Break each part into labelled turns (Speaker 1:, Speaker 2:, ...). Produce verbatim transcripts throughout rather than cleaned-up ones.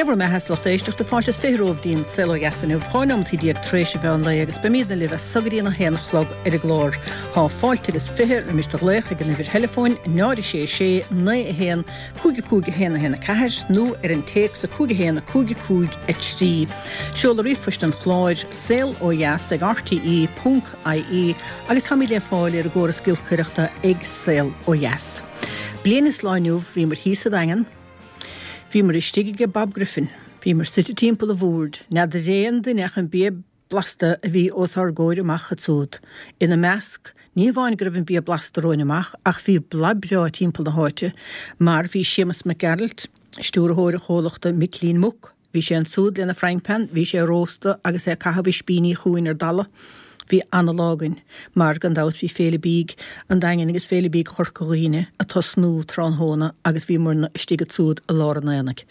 Speaker 1: Dé bhur mbeatha, a lucht éisteachta fáilte is fiche romhaibh dtí'n Saol Ó Dheas inniu, dhá nóimeataí déag tar éis an mheán lae agus beimídne libh as so go dtí'n a haon a chlog ar an gclár. Tá fáilte agus fiche roimis do ghlaoch ag an uimhir theileafóin náid a sé sé naoi a haon cúig a cúig a haon a haon a ceathair nó ar an téacs a cúig a haon a cúig a cúig a trí. Seoladh ríomhphoist an chláir saol ó dheas ag rte ponc ie agus táimid le fáil ar an gcóras giolcaireachta ag Saol Ó Dheas. Bliain is lá inniu bhíomar thíos sa Daingean, Bhíomar istigh ag Bob Griffin, bhíomar suite timpeall an bhoird, n'fheadar aon duine ach an bia blasta a bhí os ár gcomhair amach ansúd. Ina measc, ní hamháin go raibh an bia blasta romhainn amach ach bhí boladh breá timpeall na háite mar bhí Séamus Mac Gearailt, stiúrthóir an chomhlachta Micilín Muc, bhí sé ansúd lena frying pan, bhí sé ag róstadh agus é ag caitheamh ispíní chugainn ar dalladh. Bhí ana-lá againn, mar gan dabht bhí Féile Bídh an Daingin agus Féile Bídh Chorca Dhuibhne ag tosnú tráthnóna agus bhíomarna istigh ansúd i lár an aonaigh.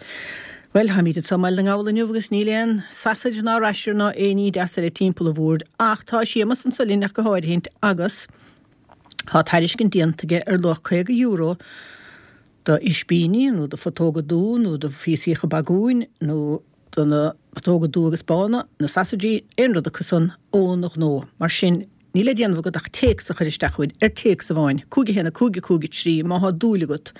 Speaker 1: Bhuel, táimid anseo i mBaile na nGall inniu agus níl aon sausage ná rasher ná aon ní deas eile timpeall an bhoird ach tá Séamus anso linn ach go háirithint agus tá tairiscint déanta aige ar luach caoga euro do ispíní nó do phutóga dubha nó do phíosaíocha bagúin nó do na putóga dubha agus bána, na sausages, aon rud acu san óna ghnó. Mar sin, níl le déanamh agat ach téacs a chur isteach chugainn, ar téacs amháin, cúig a haon a cúig a cúig a trí, má thá dúil agat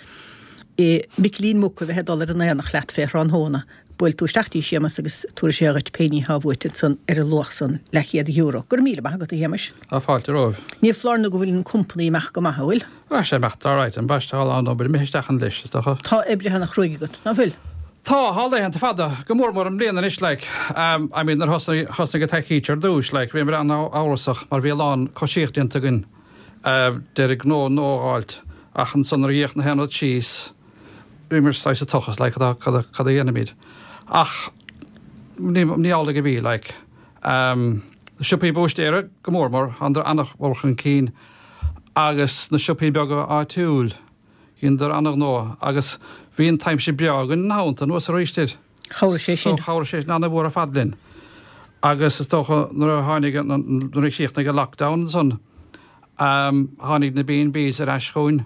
Speaker 1: i Micilín Muc a bheith ag dul ar an aonach leat fé thráthnóna, buail tú isteach dtí Séamus agus tabharfaidh sé dhuit pé ní thá uait ansan ar an luach san, leathchéad euro. Go raibh míle maith agat, a Shéamais.
Speaker 2: Tá fáilte romhaibh.
Speaker 1: Ní foláir nó go bhfuil an company imeacht go maith, an bhfuil?
Speaker 2: Tá sé imeacht alright, ambaiste, tá a lán obair imithe isteach ann leis, is dócha.
Speaker 1: Tá oibrithe ana-chruaidh agat, ná fuil?
Speaker 2: Tá, tá laethanta fada, go mór mór i mbliana anois, like, um, I mean, nuair thosnaigh, thosnaigh an taicít ar dtús, like, bhíomar an-amhrasach mar bhí a lán coisíocht déanta againn, uh, d'iarraidh gnó nua a fháilt, ach ansan nuair a d'fhéach na haon rud síos, bhíomar saghas sa tochas, like, cad a, cad a, cad a dhéanfaimid. Ach ní, ní amhlaidh a bhí, like, um, na siopaí búistéara, go mór mór, thánadar an-mhór chun cinn, agus na siopaí beaga áitiúil, Dheineadar an-ghnó agus bhí an t-aimsir breá againn ina theannta anuas arís air.
Speaker 1: Chabhraigh sé
Speaker 2: sin. So chabhraigh sé sin an-mhór ar fad linn. Agus is dócha nuair a tháinig nuair a chríochnaigh an lockdown ansan tháinig na B and Bs ar ais chugainn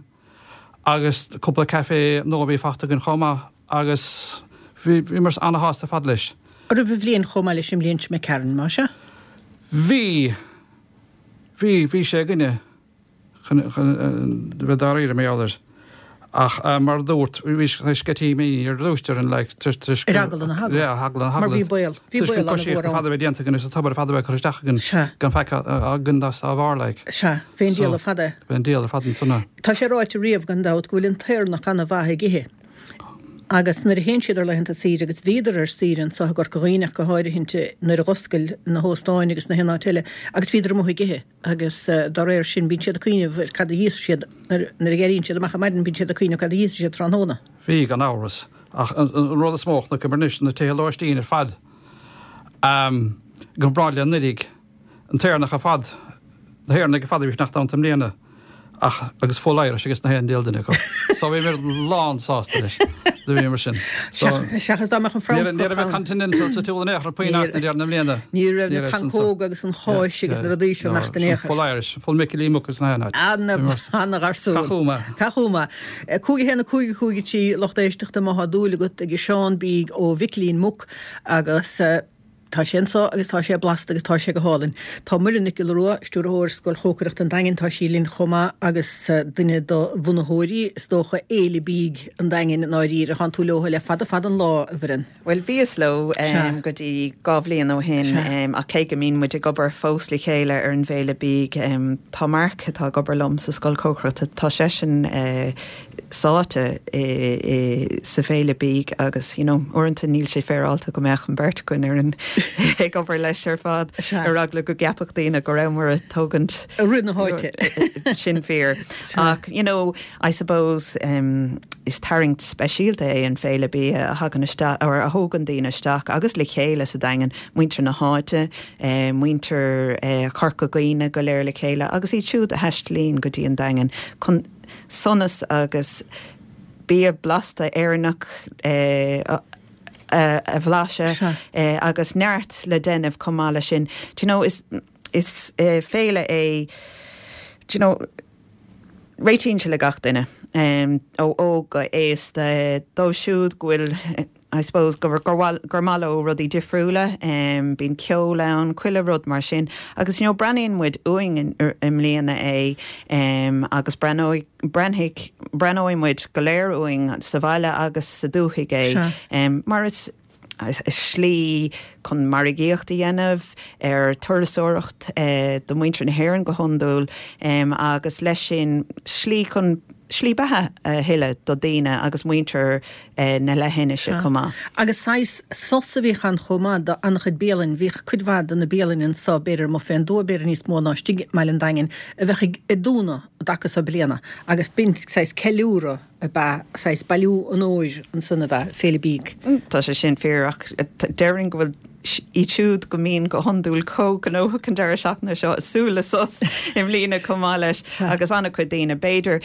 Speaker 2: agus cúpla café nua a bhí fachta againn chomh maith agus bhí bhíomar an-shásta ar fad leis.
Speaker 1: An raibh an bhliain chomh maith leis an mbliain seo imigh tharainn, más ea?
Speaker 2: Bhí. Bhí, bhí sé againne. chun bheith dáiríre mar gheall air. Ach mar a dúrt, bhí sceitimíní ar dtús orainn like toisc
Speaker 1: Ar eagla na heagla.
Speaker 2: Yeah, eagla na heagla.
Speaker 1: Mar bhí baol, bhí
Speaker 2: Toisc
Speaker 1: baol
Speaker 2: an coisíocht
Speaker 1: an-mhór
Speaker 2: ar
Speaker 1: ann.
Speaker 2: fad a bheith déanta againn agus an t-obair ar fad a bheith curtha isteach againn
Speaker 1: Sea.
Speaker 2: gan faic againn dá bharr like.
Speaker 1: Sea, bhí an
Speaker 2: So,
Speaker 1: diabhal ar fad é.
Speaker 2: bhí an diabhal ar fad ansan.
Speaker 1: Tá sé ráite riamh, gan dabht, go bhfuil an tÉireannach an-mhaith ag ithe. Agus nuair a théann siad ar laethanta saoire, agus bhíodar ar saoire anso i gCorca Dhuibhne ach go háirithint nuair a dh'oscail na hóstáin agus na haon áit eile, agus bhíodar amuigh ag ithe. Agus dá réir sin bíonn siad ag cuimhneamh ar cad a íosfaidh siad nuair a éiríonn siad amach ar maidin, bíonn siad ag cuimhneamh cad a íosfaidh siad tráthnóna.
Speaker 2: Bhí, gan amhras. Ach an rud is mó a chonaiceamar anois, na tithe lóistín ar fad, i gcomparáid le anuraidh, an tÉireannach ar fad, na hÉireannaigh ar fad a bhí ag fanacht ann i mbliana. Ach, agus full Irish ages na haon diabhal duine acu. So bhíomar lán sásta leis. Do bhíomar sin. So,
Speaker 1: Seachas dá mbeadh an
Speaker 2: ní raibh, ní
Speaker 1: Francach
Speaker 2: raibh
Speaker 1: ann.
Speaker 2: Continental sa tsiúl in aon chor puinn
Speaker 1: Ní
Speaker 2: ach na deireadh na mbliana.
Speaker 1: Ní raibh
Speaker 2: Ní
Speaker 1: na
Speaker 2: raibh san so.
Speaker 1: pancóga agus an cháis agus na rudaí seo
Speaker 2: No,
Speaker 1: imeacht in aon chor.
Speaker 2: full Irish, full Micilín Muc agus na haon áit.
Speaker 1: Ana,
Speaker 2: Bhíomar
Speaker 1: ana gharsún.
Speaker 2: Cath chuma.
Speaker 1: Cath chuma. Cúig a haon a cúig a cúig a trí lucht éisteachta má thá dúil agat ag Seán Bídh ó Mhicilín Muc agus Tá sé anso agus tá sé blasta agus tá sé go hálainn. Tá Muireann Nic Giolla Rua, Stiúrthóir Scoil Chócaireachta an Daingin, tá sí linn chomh maith agus duine de bhunaitheoirí, is dócha, Fhéile Bídh an Daingin i ndáiríre. Thánn tú leo le fada fada an lá, a Mhuireann.
Speaker 3: Bhuel, bhíos leo
Speaker 1: Sea.
Speaker 3: go dtí dhá bhliain ó shin
Speaker 1: Sea.
Speaker 3: ach cé go mbíonn muid ag obair fós le chéile ar an bhFéile Bídh, tá Mark, atá ag obair liom sa Scoil Chócaireachta, tá seisean sáite sa bhFéile Bídh agus you know uaireanta níl sé féaráilte go mbeadh an bheirt againn ar an ag obair leis ar fad ar eagla go gceapfadh daoine go rabhamar ag tógaint
Speaker 1: i rith na háite.
Speaker 3: Sin fíor. Ach you know I suppose um, is tarraingt speisialta é an Féile Bia a thagann isteach or a thógann daoine isteach agus le chéile sa Daingean, muintir na háite, eh, muintir eh, Chorca Dhuibhne go léir le chéile agus iad siúd a thaistlíonn go dtí an Daingean chun sonas agus bia blasta Éireannach a bhlaiseadh agus neart le déanamh chomh maith leis sin. Do you know, is is féile é, do you know, réitíonn sé le gach duine, ó óg go aosta, dóibh siúd go bhfuil I suppose gur gur gur maith leo rudaí difriúla, um, bíonn ceol ann, chuile rud mar sin. Agus you know, breathnaíonn muid uainn i mbliana é um, agus breathnóidh breathnaigh breathnóidh muid go léir uainn sa bhaile agus sa dúthaigh é um, mar is is slí chun margaíocht a dhéanamh ar turasóireacht eh, do muintir na hÉireann go hiondúil um, agus leis sin slí chun slí beatha a thuilleadh do daoine agus muintir eh, na leithinise chomh maith.
Speaker 1: Agus saghas sos a bhí ann chomh maith do an-chuid bialann, bhíodh cuid mhaith de na bialanna anseo b'fhéidir amuigh fén dtuath b'fhéidir níos mó ná istigh i mBaile an Daingin a bheadh ag ag dúnadh i dtaca seo bliana agus b'in saghas ceiliúradh ab ea saghas bailiú an óir ansan a bheith Féile Bídh.
Speaker 3: Tá sé sin fíor ach déarfainn go bhfuil iad siúd go mbíonn go hiondúil chomh gnóthach an deireadh seachtaine seo ag súil le sos i mbliana chomh maith leis agus an-chuid daoine b'fhéidir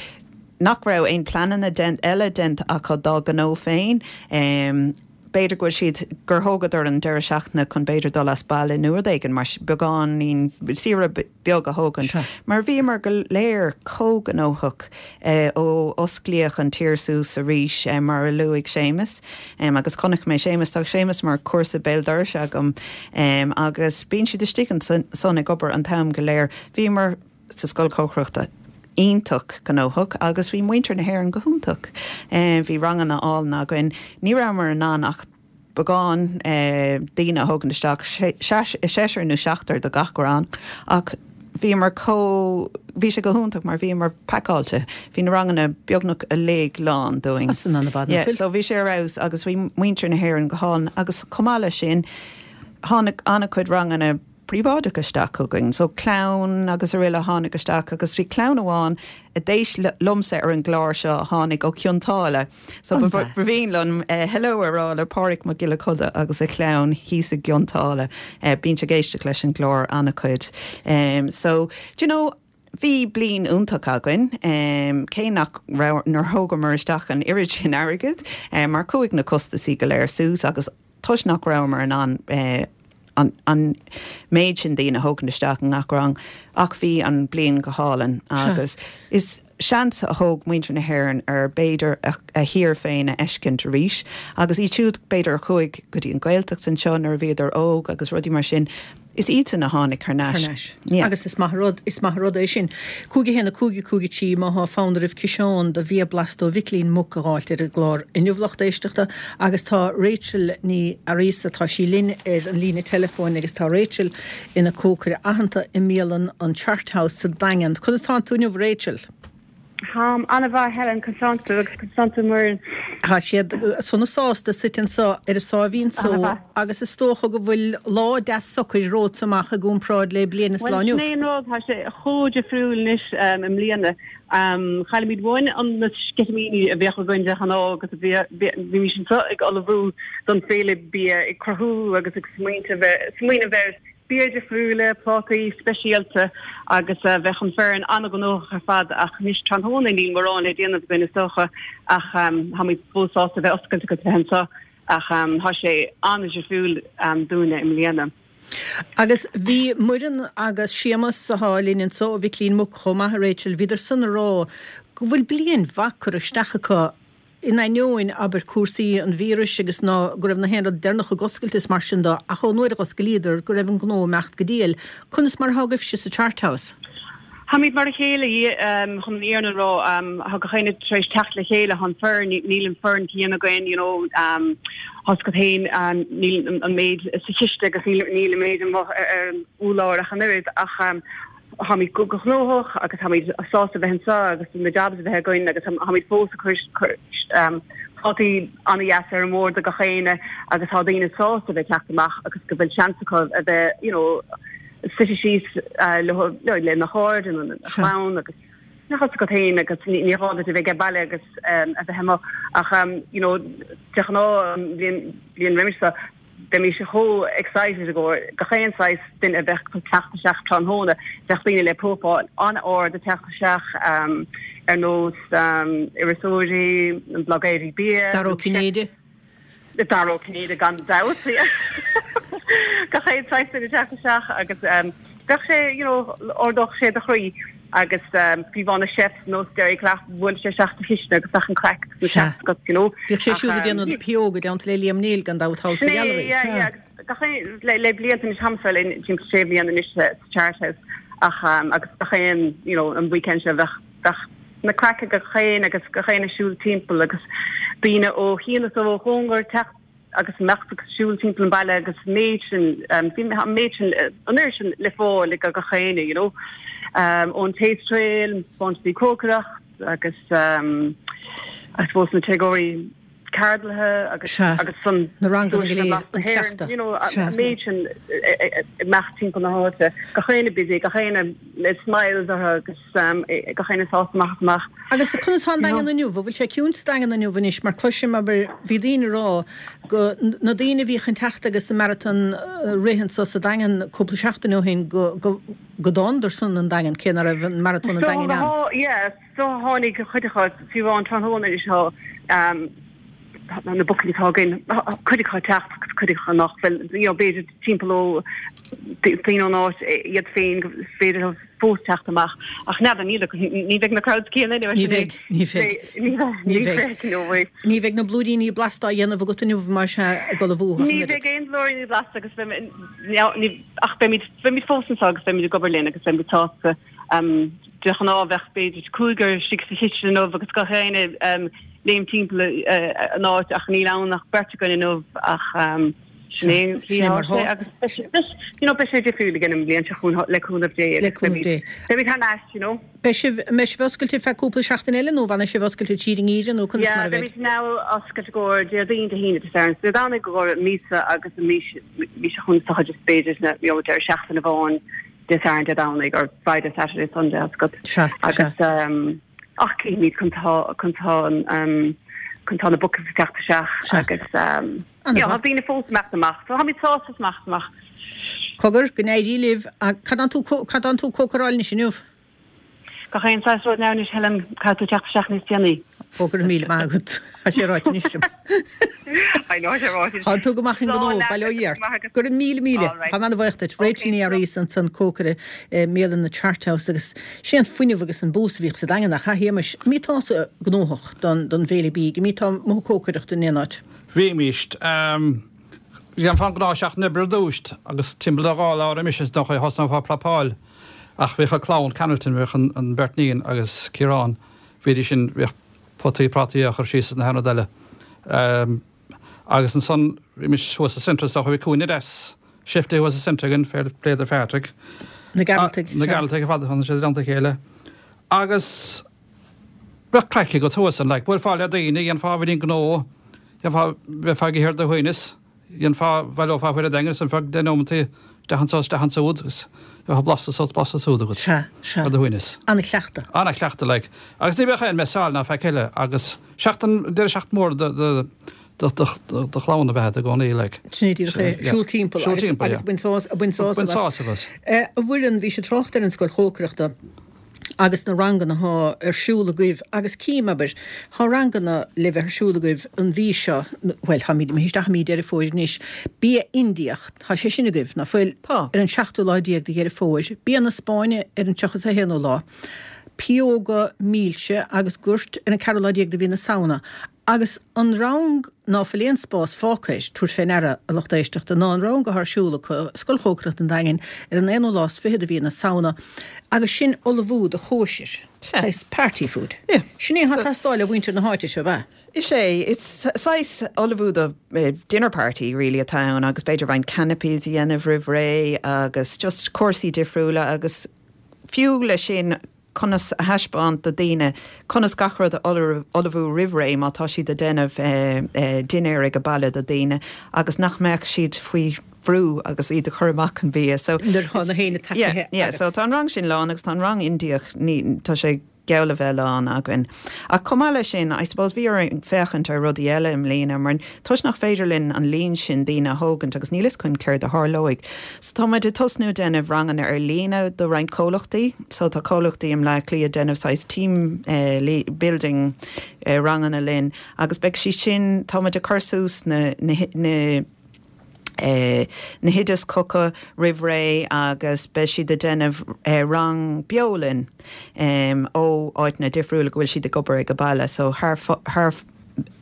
Speaker 3: nach raibh aon pleananna eile déanta acu dá gnó féin. Um, b'fhéidir go bhfuil siad gur thógadar an deireadh seachtaine chun b'fhéidir dul as baile nó rud éigin mar beagáinín saoire beag a thógaint. Mar bhíomar go léir chomh gnóthach eh, ó osclaíodh an tír suas arís eh, mar a luaigh Séamus um, agus chonaic mé Séamus tá Séamus mar comharsa béal dorais agam um, agus bíonn siad istigh ansan ag obair an t-am go léir. Bhíomar sa scoil cócaireachta iontach gnóthach agus bhí muintir na hÉireann go hiontach. Um, bhí ranganna álainn againn, ní rabhamar in ann ach beagán eh, daoine a thógaint isteach seisear nó seachtar do gach rang ach bhíomar có bhí sé go hiontach mar bhíomar pacáilte, Bhí na ranganna beagnach uilig lán dúinn.
Speaker 1: Yeah,
Speaker 3: so bhí sé ar fheabhas agus bhí muintir na hÉireann go hálainn agus chomh maith leis sin tháinig an-chuid ranganna príobháideach isteach chugainn, so clann agus araile tháinig isteach agus bhí clann amháin a d'éist liomsa ar an gclár seo a tháinig ó Chionn tSáile. So ba mhian liom uh, hello a rá le Pádraig Mac Giolla Coda agus a chlann thíos i gCionn tSáile. Uh, bíonn ag éisteacht leis an gclár an-chuid. Um, so do you know, Bhí bliain iontach againn, um, cé nach nár thógamar isteach an oiread sin airgid, um, mar chuaigh na costaisí go léir suas agus toisc nach rabhamar in ann uh, an, an méid sin daoine a thógaint isteach i ngach rang ach bhí an bliain go hálainn agus is seans a thóg muintir na hÉireann ar b'fhéidir a, a thír féin a fheiscint arís agus iad siúd b'fhéidir a chuaigh go dtí an Ghaeltacht anseo nuair a bhíodar óg agus rudaí mar sin. Is iadsan a tháinig thar n-ais.
Speaker 1: Yeah. Agus is maith rud is maith rud é sin. Cúig a haon a cúig a cúig a trí má thá fonn oraibh ciseán de bhia blasta ó Mhicilín Muc a dh'fháilt ar an gclár inniu lucht éisteachta agus tá Rachel Ní Fhearghusa tá sí linn ar an líne teileafóin agus tá Rachel ina cócaire aitheanta i mbialann an Chart House sa Daingean. Conas tánn tú inniu Rachel?
Speaker 4: Táim an-mhaith Helen conas tánn tú agus conas tánn tú Muireann.
Speaker 1: Tá siad sona sásta suite anseo ar a sáimhín só agus is dócha go bhfuil lá deas socair romhat amach i gcomparáid le bliain is lá inniu.
Speaker 4: Bhuel sin é an rud, tá sé chomh difriúil anois i mbliana. Chaillimid uainn an na sceitimíní a bheadh againn de ghnáth agus bhímis anseo ag ullmhú don féile bia ag cruthú agus ag smaoineamh ar bia difriúla, plátaí speisialta agus bheadh an foireann an-ghnóthach ar fad ach anois tráthnóna níl mórán le déanamh againn is dócha ach táimid fós sásta bheith oscailte agus bheith anseo ach tá sé an-difriúil dúinne i mbliana.
Speaker 1: Agus bhí Muireann agus Séamus atá linn anseo ó Mhicilín Muc chomh maith, a Rachel, bhíodar san ag rá go bhfuil bliain mhaith curtha isteach acu In ainneoin, abair, cúrsaí an víris agus ná go raibh na haon rud deireanach ag oscailt is mar sin de, ach ón uair a dh'oscailíodar, go raibh an gnó ag imeacht go diail. Conas mar atá agaibhse sa Chart House?
Speaker 4: Táimid mar a chéile, chun an fhírinne a rá. Tá gach éinne tar éis teacht le chéile, tá an foireann, níl an foireann céanna againn, you know, tá a fhios agat féin, níl an méid sa chiste agus níl an méid amuigh ar an urlár ach an oiread ach, Táimid go gnóthach agus táimid sásta bheith anseo agus na jobs a bheith againn agus táimid fós ag cur plátaí an-dheas ar an mbord do gach éinne agus tá daoine sásta bheith teacht amach agus go bhfuil seans acu a bheith you know suite síos leo lena chairde nó lena chlann agus tá a fhios agat féin agus ní gá duit a bheith ag baile agus a bheith amuigh ach you know de ghnáth an bhliain roimis seo Bheimis chomh excited i gcomhair gach aon saghas duine a bheadh ag teacht isteach tráthnóna. Bheadh daoine le profáil an-ard ag teacht isteach ar nós iriseoirí, blogéirí bia.
Speaker 1: Dara Ó Cinnéide.
Speaker 4: Dara Ó Cinnéide gan dabht. Gach aon saghas duine ag teacht isteach agus bheadh sé, you know, ardódh sé do chroí. agus fiú amháin na chefs nós Derry Claff bhuail sé isteach sa chistin agus bheadh an craic agus na chefs agat you know.
Speaker 1: Bhíodh sé siúd ag déanamh na pióga déanta le Liam Neill gan dabht thall sa Ghealraí.
Speaker 4: Yeah, yeah, gach aon le le blianta anois táimse le timpeall sé bliana anois sa Chart House ach agus gach aon you know an weekend seo bheadh bheadh na craic ag gach aon agus gach aon ag siúl timpeall agus daoine ó chian is ó chóngar teacht agus imeacht agus siúl timpeall an baile agus an méid sin bhí an méid sin an oiread sin le fáil ag gach éinne you know um, ón Taste Trail, sponsí cócaireacht agus um, I suppose na takeaway ceardlaithe agus agus san
Speaker 1: na ranganna go léir an cleachtadh.
Speaker 4: You know, an méid sin imeacht timpeall na háite gach éinne busy gach éinne le smiles orthu agus um, gach éinne sásta amach is amach.
Speaker 1: Agus conas tá an Daingean inniu? An bhfuil sé ciúin sa Daingean inniu anois mar cloisim abair bhí daoine ag rá go na daoine a bhíodh ag teacht agus an maratón rith anso sa Daingean cúpla seachtain ó shin go go go dtánadar san an Daingean cé nach raibh an maratón an Daingin ann.
Speaker 4: So yeah so tháinig cuid acu fiú amháin tráthnóna anois tá um, na bookings atá againn cuid acu ag teacht agus cuid acu nach bhfuil you know b'fhéidir timpeall ó daoine ón áit iad féin go féidir leo fós teacht amach ach n'fheadar níl ní bheidh na crowds céanna anyway
Speaker 1: Ní bheidh, ní bheidh.
Speaker 4: Ní bheidh, ní bheidh, no way.
Speaker 1: Ní bheidh na blúiríní blasta á dhéanamh agat inniu mar sea ag ullmhú ach an
Speaker 4: Ní
Speaker 1: oiread.
Speaker 4: bheidh aon bhlúiríní blasta agus beimid ach beimid beimid fós anseo agus beimid ag obair linn agus beimid sásta um, de ghnáth bheadh b'fhéidir cúigear istigh sa chistin inniu agus gach éinne um, léim timpeall an áit ach níl ann ach beirt againn inniu ach um, sin é
Speaker 1: Sin é mar
Speaker 4: sé agus you know, beidh sé difriúil again an bhliain seo chugainn le cúnamh Dé
Speaker 1: Le cúnamh Dé.
Speaker 4: Beimid thar n-ais, you know.
Speaker 1: Beidh sibh mbeidh sibh oscailte feadh cúpla seachtain eile nó fanfaidh sibh oscailte tríd an ngeimhreadh nó conas
Speaker 4: Yeah,
Speaker 1: mar a bheidh?
Speaker 4: beimid now oscailte i gcomhair Déardaoin Dé hAoine Dé Sathairn. Dé Domhnaigh i gcomhair míosa agus an mí mí seo chugainn sa chuid is b'fhéidir na you know, deireadh seachtaine amháin Dé Sathairn Dé Domhnaigh or Friday Saturday Sunday as gut.
Speaker 1: Sea,
Speaker 4: Agus um, ach címid chun tá chun tá an um, chun tá na bookings ag teacht isteach
Speaker 1: Sea.
Speaker 4: agus um,
Speaker 1: An-mhaith.
Speaker 4: yeah, tá daoine fós imeacht amach. So táimid sásta amach amach.
Speaker 1: Cogar go n-éirí libh cad tá tú cad tá tú ag cócaráil anois inniu?
Speaker 4: Gach aon saghas rud now anois Helen caithfidh tú teacht isteach níos déanaí.
Speaker 1: Ó go raibh míle maith agat. Tá sé ráite anois liom.
Speaker 4: I know sé ráite.
Speaker 1: Tá tú go maith an gnó bail ó Dhia ort. Go raibh míle míle.
Speaker 4: All right.
Speaker 1: Tá mé an-bhuíoch duit. Rachel Ní Fhearraigh ansan cócaire i mbialann na Chart House agus sé an fuinneamh agus an bús a bhíodh sa Daingean ach Shéamais an mbíonn tusa gnóthach don don bhféile bídh, an mbíonn tú amuigh ag cócaireacht in aon áit.
Speaker 2: Bhímist dhéanfá an ghnáthsheachtain oibre ar dtús agus timpeall a dhá lá roimis is dócha thosnófá ag prapáil ach bhíodh an clann Cannelton bhíodh an, an bheirt iníon agus Ciarán bhídís sin bhíodh potaí prátaí á chur síos na haon rud eile. Um, agus ansan bhímis thuas sa Centra so bhí cúinne deas shifty thuas sa Centra againn fair play do Phatrick.
Speaker 1: Na Gearaltaigh.
Speaker 2: Na Gearaltaigh fad fan sé danta chéile. Agus bheadh craic agat thuas an like, bhuailfeá le daoine dhéanfá bhí gnó dhéanfá bheifeá ag ithe ar do shuaimhneas dhéanfá bhaileofá faoi daingean san feadh deich nóimeataí isteach anso isteach ansúd agus bheadh blasta sult blasta súd agat
Speaker 1: Sea, sea.
Speaker 2: ar do shuaimhneas.
Speaker 1: An-chleachtadh.
Speaker 2: An-chleachtadh like. Agus ní bheadh aon messáil ná faic eile agus seachtain deireadh seachtaine mór do do do do do do chlann a bheith i gcónaí like.
Speaker 1: Sin é
Speaker 2: Sea, yeah.
Speaker 1: siúl timpeall
Speaker 2: Siúl
Speaker 1: agus
Speaker 2: timpeall,
Speaker 1: agus
Speaker 2: yeah.
Speaker 1: bain sás bain sásamh
Speaker 2: Bain
Speaker 1: as.
Speaker 2: sásamh as.
Speaker 1: Eh, A Mhuireann bhí sé trácht ar an scoil chócaireachta agus na ranganna atá ar siúl agaibh agus cím abair tá ranganna le bheith ar siúl agaibh an mhí seo well táimid imithe isteach i mí Deireadh Fómhair anois bia Indiach tá sé sin agaibh ná fuil
Speaker 3: Tá.
Speaker 1: ar an seachtú lá déag de Dheireadh Fómhair bia na Spáinne ar an tríocha is a haonú lá pióga milse agus goirt ar an ceathrú lá déag de mhí na Samhna agus an rang ná fuil aon spás fágtha air tabhair fé ndeara a lucht éisteachta ná an rang atá ar siúl acu Scoil Chócaireachta an Daingin ar an aonú lá is fiche de mhí na Samhna agus sin ullmhú do chóisir.
Speaker 3: Sea.
Speaker 1: party food.
Speaker 3: Yeah.
Speaker 1: Sin é atá ag teastáil ó mhuintir na háite seo ba.
Speaker 3: Is é it's saghas ullmhú do uh, dinner party really atá ann agus b'fhéidir roinnt canapés a dhéanamh roimh ré agus just cúrsaí difriúla agus fiú le sin conas a thaispeáint do daoine conas gach rud a ullmhú roimh ré má tá siad ag déanamh eh, eh, dinnéar ag an baile do daoine agus nach mbeadh siad faoi bhrú agus iad a chur amach an bia. So
Speaker 1: Nuair atá na héinne
Speaker 3: Yeah,
Speaker 1: tacaithe
Speaker 3: yeah, so tá an rang sin lán agus tá an rang Indiach ní tá sé geall le bheith lán againn. Ach chomh maith leis sin, I suppose bhí orainn féachaint ar rudaí eile i mbliana, mar toisc nach féidir linn an líon sin daoine a thógaint agus níl a fhios againn céard a tharlóidh. So tá muid ag tosnú déanamh ranganna ar líne do roinnt comhlachtaí, so tá comhlachtaí i mBleá Cliath déanamh saghas team eh, building eh, ranganna linn, agus beidh sí sin tá muid ag cur suas na, na, na Eh, na hoidis chucu roimh ré agus beidh siad ag déanamh eh, rang beo linn um, ó áiteanna difriúla go bhfuil siad ag obair ag an baile, so thar thar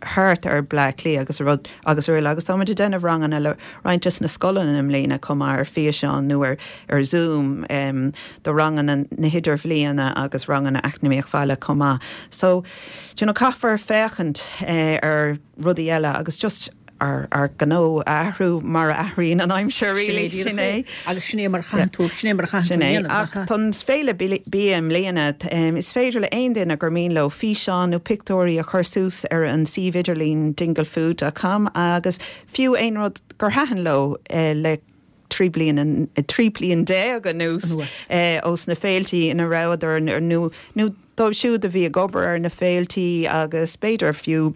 Speaker 3: thart ar Bleá Cliath agus rud agus araile agus táimid ag déanamh ranganna le roinnt des na scoileanna i mbliana chomh maith ar físeán nó ar ar Zoom um, do ranganna na hidirbhliana agus ranganna eacnamaíocht bhaile chomh maith. So you know, caithfear féachaint eh, ar rudaí eile agus just ar ar gnó athrú mar a athraíonn an aimsir really sin é.
Speaker 1: Agus sin é mar chaithfidh tú sin é mar chaithfidh
Speaker 3: Sin é ach don féile bia i mbliana is féidir le aon duine gur mian leo físeán nó pictiúirí a chur suas ar an suíomh idirlín dinglefood.com agus fiú aon rud gur thaitin leo eh, le trí bliana trí bliana déag anuas eh, ós na féiltí ina rabhadar nó nó dóibh siúd a bhí ag obair ar na féiltí agus b'fhéidir fiú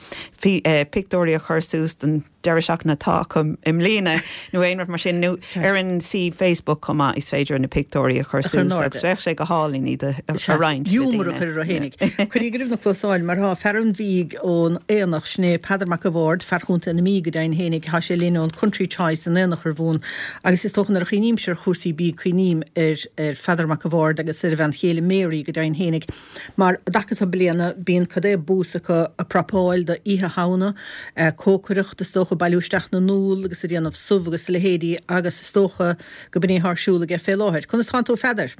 Speaker 3: eh, pictiúirí a chur suas den deireadh seachtaine atá acu i mbliana nó aon rud mar sin nó ar an suíomh Facebook chomh maith is féidir na pictiúirí a chur suas agus bheadh sé go hálainn iad a roinnt.
Speaker 1: Giúmar a chur a fhéinig. Cuirí go na closáil mar tá fear an bhídh ón Aonach sin é Peadar Mac a' Bhaird fear Chontae na Mí go deimhin fhéinig tá sé linn ón Country Choice an Aonach ar bhún agus is dócha nuair a chuimhnímse ar chúrsaí bídh cuimhním ar ar Pheadar Mac a' Bhaird agus ar a bhean chéile Mary go deimhin fhéinig. Mar dtaca sa bliana bíonn cad é bús acu ag prapáil do Oíche Shamhna, cócaireacht is dócha bailiú isteach na n-úll agus a déanamh subh agus leithéidí agus is dócha go b'in é atá ar siúl aige fé láthair. Conas tánn tú Pheadar?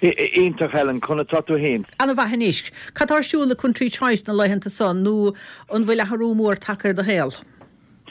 Speaker 5: Iontach Helen conas tá tú féin.
Speaker 1: An-mhaith anois. Cad tá ar siúl le Country Choice na laethanta seo nó an bhfuil athrú mór tagtha ar do shaol?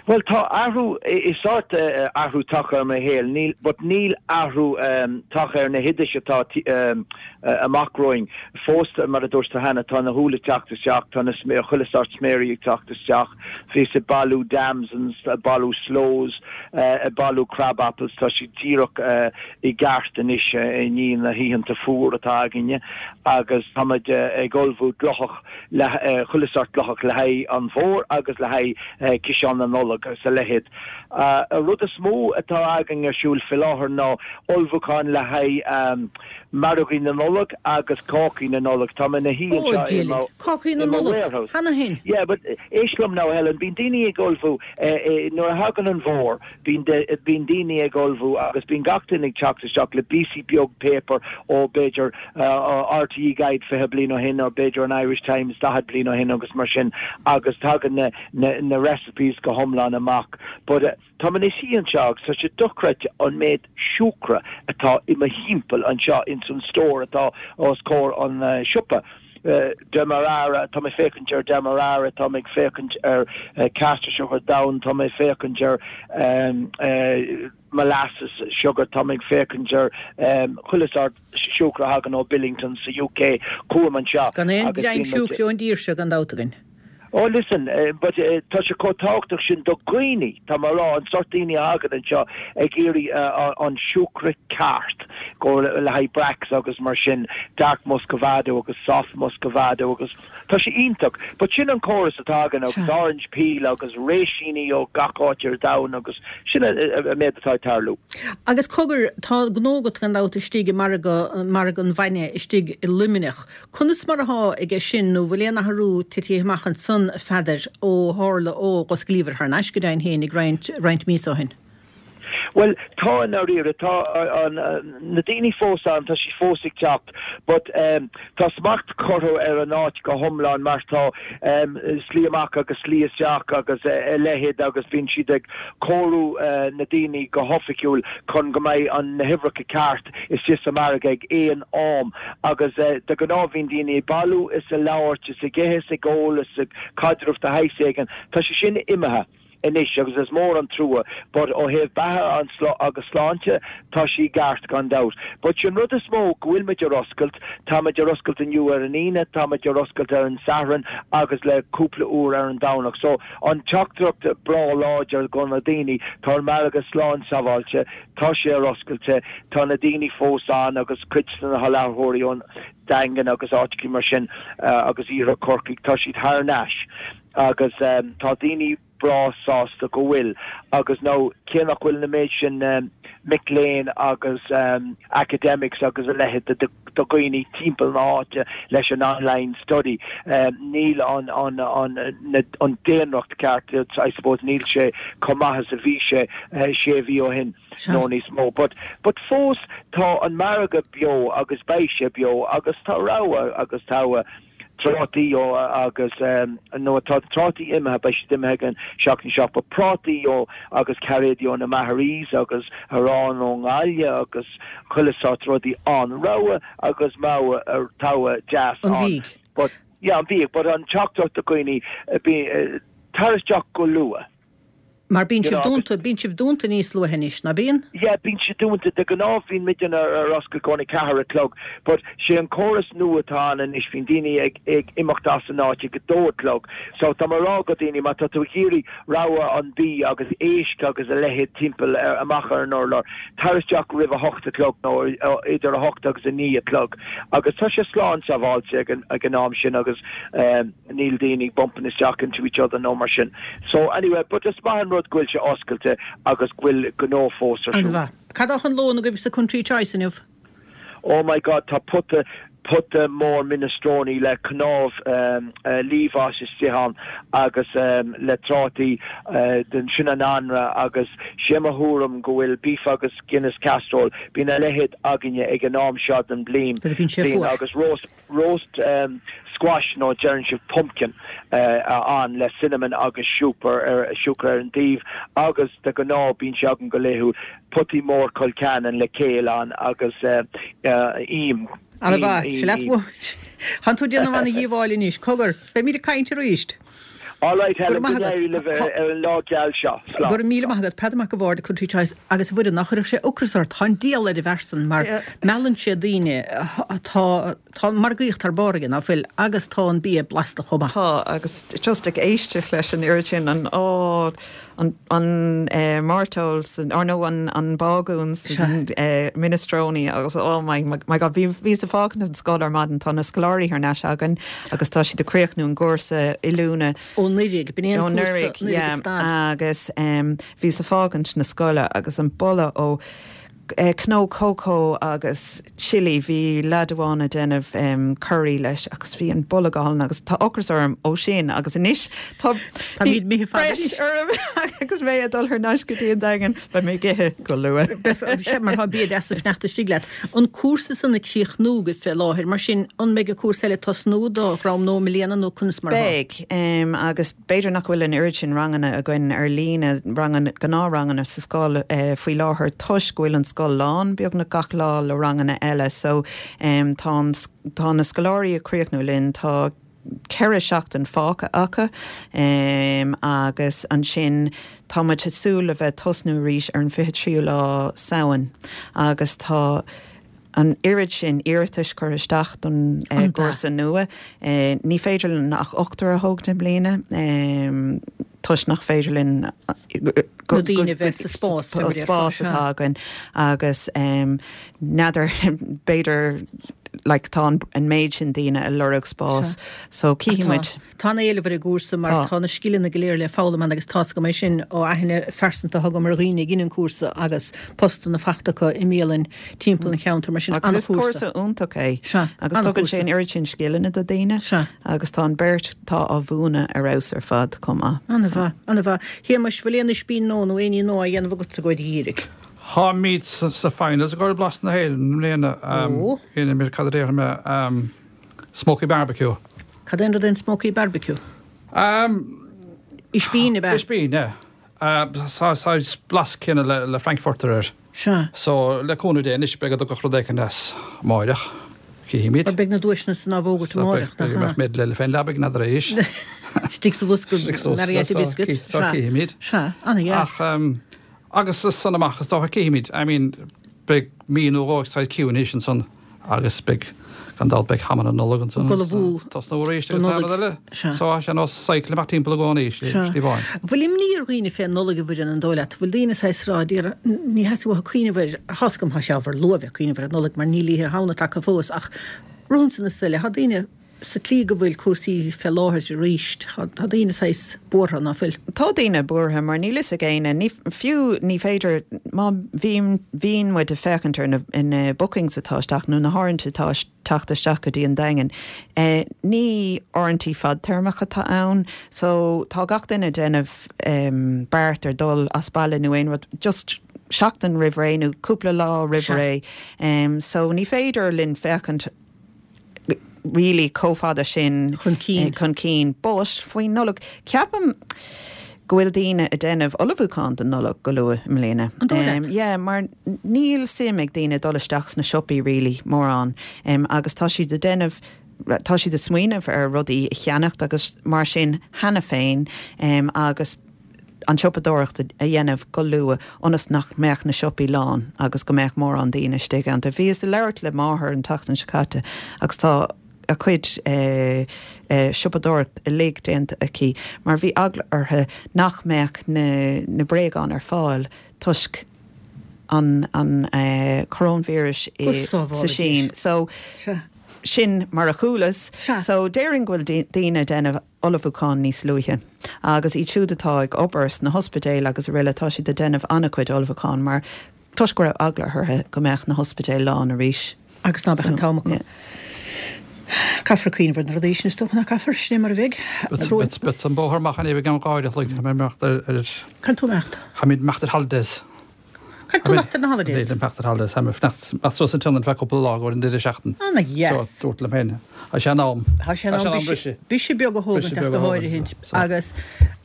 Speaker 5: Well tá athrú is sórt uh, athrú tagtha ar mo shaol níl but níl athrú um, tagtha ar na hoidis atá um, uh, amach romhainn fós mar a dúirt cheana tá na húlla ag teacht isteach tá na chuile sórt sméirí ag teacht isteach bhíos ag bailiú damsons ag bailiú sloes uh, ag bailiú crab apples tá si díreach uh, i gceart anois uh, i ndiaidh na hoícheanta fuar atá againne agus táimid uh, ag ullmhú glóthach le uh, chuile sórt glóthach le haghaidh an fhómhair agus le haghaidh uh, ciseán na Nollag agus a leithéid. Uh, a rud is mó atá againn ar siúl faoi láthair ná ullmhúchán le haghaidh um, margaí na Nollag agus cácaí na Nollag Tá na hí
Speaker 1: Cácaí na Nollag cheana féin.
Speaker 5: Yeah, but éist liom now Helen, bíonn daoine ag ullmhú eh, eh, nuair a thagann an fómhar bíonn daoine ag ullmhú agus bíonn gach duine ag teacht isteach le píosa beag paper ó b'fhéidir uh, RTE Guide fiche bliain ó shin or b'fhéidir an Irish Times daichead bliain ó shin agus mar sin agus tagann na, na, na recipes go hiomlán amach. But uh, Tá man is í anseo tá sé dochreidte an méid siúcra atá i mo thimpeall anseo in san stór atá os comhair an uh, siopa. Uh, Demerara tá mé féachaint ar Demerara tá mé féachaint ar uh, caster sugar down tá mé féachaint ar um, uh, molasses sugar tá mé féachaint ar um, chuile sórt siúcra thagann ó Billington sa UK chugam anseo.
Speaker 1: Gan aon greim siúcra ón dtír seo gan dabht againn.
Speaker 5: Oh listen, uh, but uh, tá sé chomh tábhachtach sin do dhaoine tá mar rá an sórt daoine thagann anseo ag iarraidh uh, an siúcra ceart go le haghaidh brax agus mar sin dark muscovado agus soft muscovado agus tá sé iontach, but sin an córas atá againn agus orange peel agus réisíní ó gach áit ar domhan agus sin a méid atá tarlú.
Speaker 1: Agus cogar tá gnó agat gan dabht istigh i margadh margadh an bhainne istigh i Luimneach. Conas mar atá aige sin nó bhfuil aon athrú tite amach ansan Pheadair ó tharla ó osclaíodh thar n-ais go deimhin féin ag roinnt roinnt mí ó shin.
Speaker 5: Well tá dáiríre tá an na daoine fós an tá sí fós ag teacht, but um, tá smacht curtha ar an áit go hiomlán mar tá um, slí amach agus slí isteach agus uh, a leithéid agus bíonn siad ag cóiriú uh, na daoine go hoifigiúil chun go mbeidh an na huimhreacha ceart istigh sa margadh ag aon am agus uh, de ghnáth bíonn daoine bailiú is ag labhairt is ag ithe is ag ól is ag caidreamh de shaghas éigin tá sé sin imithe. anois agus is mór an trua, but ó thaobh beatha an agus sláinte tá sí ceart gan dabht. But sin rud is mó go bhfuil muid ar oscailt, tá muid ar oscailt inniu ar an Aoine, tá muid ar oscailt ar an Satharn agus le cúpla uair ar an Domhnach. So an teachtaireacht breá láidir go na daoine tá an margadh slán sábháilte, tá sé ar oscailte, tá na daoine fós ann agus cuid de na hallmhaireoirí ón Daingean agus áiteacha mar sin uh, agus iarthar Chorcaí tá siad thar n-ais agus um, tá daoine breá sásta go bhfuil agus nó cé nach bhfuil na méid sin um, mic léinn agus um, academics agus a leithéid de de dhaoine timpeall na háite leis an online study um, níl an an an na, an daonracht ceart I suppose níl sé chomh maith is a bhí sé uh, sé mhí ó shin nó níos mó but but fós tá an margadh beo agus beidh sé beo agus tá rogha agus tá trátaí ó agus um, nó tá trátaí imithe beidh siad imithe an seachtain seo ba prátaí ó agus cairéidí ó na Maharees agus arán ón nGaillimh agus chuile sórt rudaí an rogha agus má ar togha deas
Speaker 1: An bhídh.
Speaker 5: But yeah, an bhídh, but an teachtaireacht do dhaoine bí tar isteach go luath.
Speaker 1: Mar bíonn sibh dúnta bíonn sibh dúnta níos luaithe anois, ná bíonn?
Speaker 5: Yeah, bíonn sé dúnta de ghnáth bíonn muid ar ar oscailt go ceathair a chlog, but sé an córas nua atá ann anois bíonn daoine ag ag imeacht as an áit ag a dó a chlog. So tá mé ag rá do dhaoine má tá tú ag iarraidh rogha an bí agus éisc agus a leithéid timpeall ar amach ar an urlár. Tar isteach roimh a hocht a chlog nó idir a hocht agus a naoi a chlog. Agus tá sé slán sábháilte ag an ag an am sin agus um, níl daoine bumping isteach into each other nó mar sin. So anyway, but is maith an rud go bhfuil sé oscailte agus go bhfuil gnó fós ar siúl.
Speaker 1: An-mhaith. Cad é an lón agaibh sa Country Choice inniu?
Speaker 5: Oh my God, tá pota pota mór minestrone le cnámh um, uh, liamhás istigh ann agus um, le trátaí uh, den sin an anraith agus sé mo thuairim go bhfuil beef agus Guinness casserole bíonn a leithéid againne ag an am seo den bliain
Speaker 1: Bhíonn sé
Speaker 5: bliain
Speaker 1: fuar.
Speaker 5: agus roast roast um, squash nó deireann sibh pumpkin uh, ann le cinnamon agus siúcra ar siúcra ar an taobh agus de ghnáth bíonn sé againn go laethúil potaí mór colcannon le céile ann agus uh, uh, im
Speaker 1: An-mhaith, sé leat Tá tú ag déanamh an dhíobháil anois, cogar, beimid ag caint arís.
Speaker 5: All right, Helen,
Speaker 1: maith
Speaker 5: go
Speaker 1: agat.
Speaker 5: n-éirí libh ar ar an lá geal seo. Slán.
Speaker 1: Gur míle maith agat Peadar Mac a' Bhaird Country Choice agus bhuidir nach chuirfeadh sé ocras ort tá díol ar a bhearsan mar meallann sé daoine tá tá margaíocht thar barr aige ná fuil agus tá an bia blasta chomh maith.
Speaker 3: Tá agus just ag éisteacht leis an oiread sin an á an an eh, mairteoil san or nó an an bágún san eh, minestrone agus oh my my, my God bhí bhí sa fágan an scoil ar maidin tá na scoláirí thar n-ais againn agus tá siad ag críochnú an gcúrsa oiliúna
Speaker 1: Ó Nollaig, b'in
Speaker 3: Ó Nollaig, yeah, agus um, bhí sa fágant na scoile agus an boladh ó eh, cnó cócó agus chili bhí leaid amháin ag déanamh um, curry leis agus bhí an boladh ann agus tá ocras orm ó sin agus anois tá
Speaker 1: Táimid mithe fada
Speaker 3: breis orm agus mé ag dul thar n-ais go dtí an Daingean beidh mé ag ithe go luath.
Speaker 1: Se mar tá bia deas ag fanacht istigh leat. An cúrsa san ag críochnú go fé láthair, mar sin an mbeidh an cúrsa eile tosnú do ram nó míonna nó conas mar atá?
Speaker 3: Beidh um, agus b'fhéidir nach bhfuil an oiread sin ranganna againn ar líne rangan gnáthranganna sa scoil uh, faoi láthair toisc go bhfuil an scoil lán beagnach gach lá le ranganna eile so um, tá an s- tá na scoláirí ag críochnú linn tá ceithre seachtain fágtha acu um, agus ansin tá muid ag súil le bheith tosnú arís ar an fiche tríú lá Samhain agus tá an oiread sin iarratais curtha isteach don eh,
Speaker 1: An
Speaker 3: gcúrsa nua. Eh, ní féidir linn ach ochtar a thógaint i mbliana um, toisc nach féidir linn
Speaker 1: Na daoine bheith sa spás, fé mar
Speaker 3: spás
Speaker 1: déarfá,
Speaker 3: atá againn agus um, n'fheadar b'fhéidir like, tá an, an méid sin daoine ag lorg spás so cífimid
Speaker 1: Tá an éileamh ar an gcúrsa mar
Speaker 3: Tá.
Speaker 1: tá na scileanna go léir le foghlaim ann agus tá go mé sin ó aithne phearsanta thug mar dhaoine ag an cúrsa agus postanna faighte acu i mbialann timpeall an cheantar mar sin
Speaker 3: Agus is
Speaker 1: an-chúrsa.
Speaker 3: cúrsa iontach é
Speaker 1: Sea,
Speaker 3: agus tugann
Speaker 1: an-chúrsa.
Speaker 3: sé an oiread sin scileanna do daoine
Speaker 1: Sea.
Speaker 3: agus tá an beirt tá á mhúineadh ar fheabhas ar fad chomh maith.
Speaker 1: An-mhaith, an-mhaith. Shéamais bhfuil aon ispín nó nó éiní nó a dhéanamh agat sa gcuid dhírigh.
Speaker 2: Táimid sa sa finals i gcomhair Blas na hÉireann i mbliana
Speaker 1: Ó.
Speaker 2: ina mé cad é mé um, smoky barbecue.
Speaker 1: Cad é an rud é an smoky barbecue?
Speaker 2: Um,
Speaker 1: Ispín a be?
Speaker 2: Ispín, yeah. Uh, sa sa blas céanna le, le Frankfurter air.
Speaker 1: Sea.
Speaker 2: So le cúnamh Dé anois beidh do rud éigin as amárach. Cífimid.
Speaker 1: Mar beidh na duaiseanna san á bhfógairt amárach.
Speaker 2: Med le féin leabaidh na éis.
Speaker 1: Istigh sa bhosca Marietta biscuits.
Speaker 2: So cífimid.
Speaker 1: Sea, an-dheas.
Speaker 2: Ach um, agus is san amach is dócha cífimid. I mean, beidh mí nó dhó sa ciúin san agus beidh gan dabht beidh ham an Nollag ansan.
Speaker 1: Gul a bhú.
Speaker 2: Tá nó arís
Speaker 1: Don
Speaker 2: agus
Speaker 1: Nollaig.
Speaker 2: eile.
Speaker 1: Sea.
Speaker 2: So sé nó cycle amach timpeall i gcónaí slí bháin.
Speaker 1: Bhfuil imní ar dhaoine fé Nollaig a bhfuil an dóigh leat, bhfuil daoine sa sráid ní theastaíonn uathu cuimhneamh air tháscam thá sé ábhar luath cuimhneamh ar an Nollaig mar níl Oíche Shamhna tagtha fós ach rún san na stile, Tá daoine sa tslí go bhfuil cúrsaí fé láthair arís, tá daoine saghas buartha, ná fuil?
Speaker 3: Tá daoine buartha mar níl fhios ag éinne, ní, fiú ní féidir, má bhíonn, bhíonn muid ag féachaint ar na, na bookings atá isteach nó na háirithintí atá teacht isteach go dtí an Daingean, eh, ní áirithintí fadtéarmach atá ann, so tá gach duine ag déanamh em, beart ar dul as baile nó aon rud, just seachtain roimh ré nó cúpla lá roimh ré. Um, so ní féidir linn féachaint really chomh fada sin
Speaker 1: chun cinn.
Speaker 3: Chun cinn. But faoin Nollaig, ceapaim go bhfuil daoine ag déanamh ullmhúchán don Nollaig go luath i mbliana.
Speaker 1: An dóigh leat?
Speaker 3: Yeah, mar níl suim ag daoine dul isteach sna siopaí really mórán um, agus tá siad ag déanamh tá siad ag smaoineamh ar rudaí a cheannacht agus mar sin cheana féin um, agus an siopadóireacht a dhéanamh go luath ionas nach mbeadh na siopaí lán agus go mbeadh mórán daoine istigh ann. Bhíos ag labhairt le máthair an tseachtain seo caite agus tá a cuid siopadóireacht uilig déanta aici mar bhí eagla uirthi nach mbeadh na na bréagáin ar fáil toisc an an coróinvíreas
Speaker 1: Go
Speaker 3: sa Sín. So sin mar a chualas. So déarfainn go bhfuil daoine ag déanamh ullmhúchán níos luaithe. Agus iad siúd atá ag obair sna hospidéil agus araile tá siad ag déanamh an-chuid ullmhúchán mar toisc go raibh eagla orthu go mbeadh na hospidéil lán arís.
Speaker 1: Agus ná beadh an t-am acu. Caithfear cuimhneamh ar na rudaí sin is dócha nach gcaithfear, sin é mar a bheidh.
Speaker 2: Beidh an bóthar amach an ag an gáire chloig, tá mé imeacht ar.
Speaker 1: Cá bhfuil tú imeacht?
Speaker 2: Tá mé imeacht ar holidays.
Speaker 1: Cá bhfuil tú imeacht ar na holidays?
Speaker 2: Tá mé imeacht ar holidays, tá mé fanacht suas an tionad feadh cúpla lá go an deireadh seachtain.
Speaker 1: Ana dheas.
Speaker 2: So dúirt liom féin, tá sé in am.
Speaker 1: Tá sé in am briseadh beag a thógaint ach go háirithint agus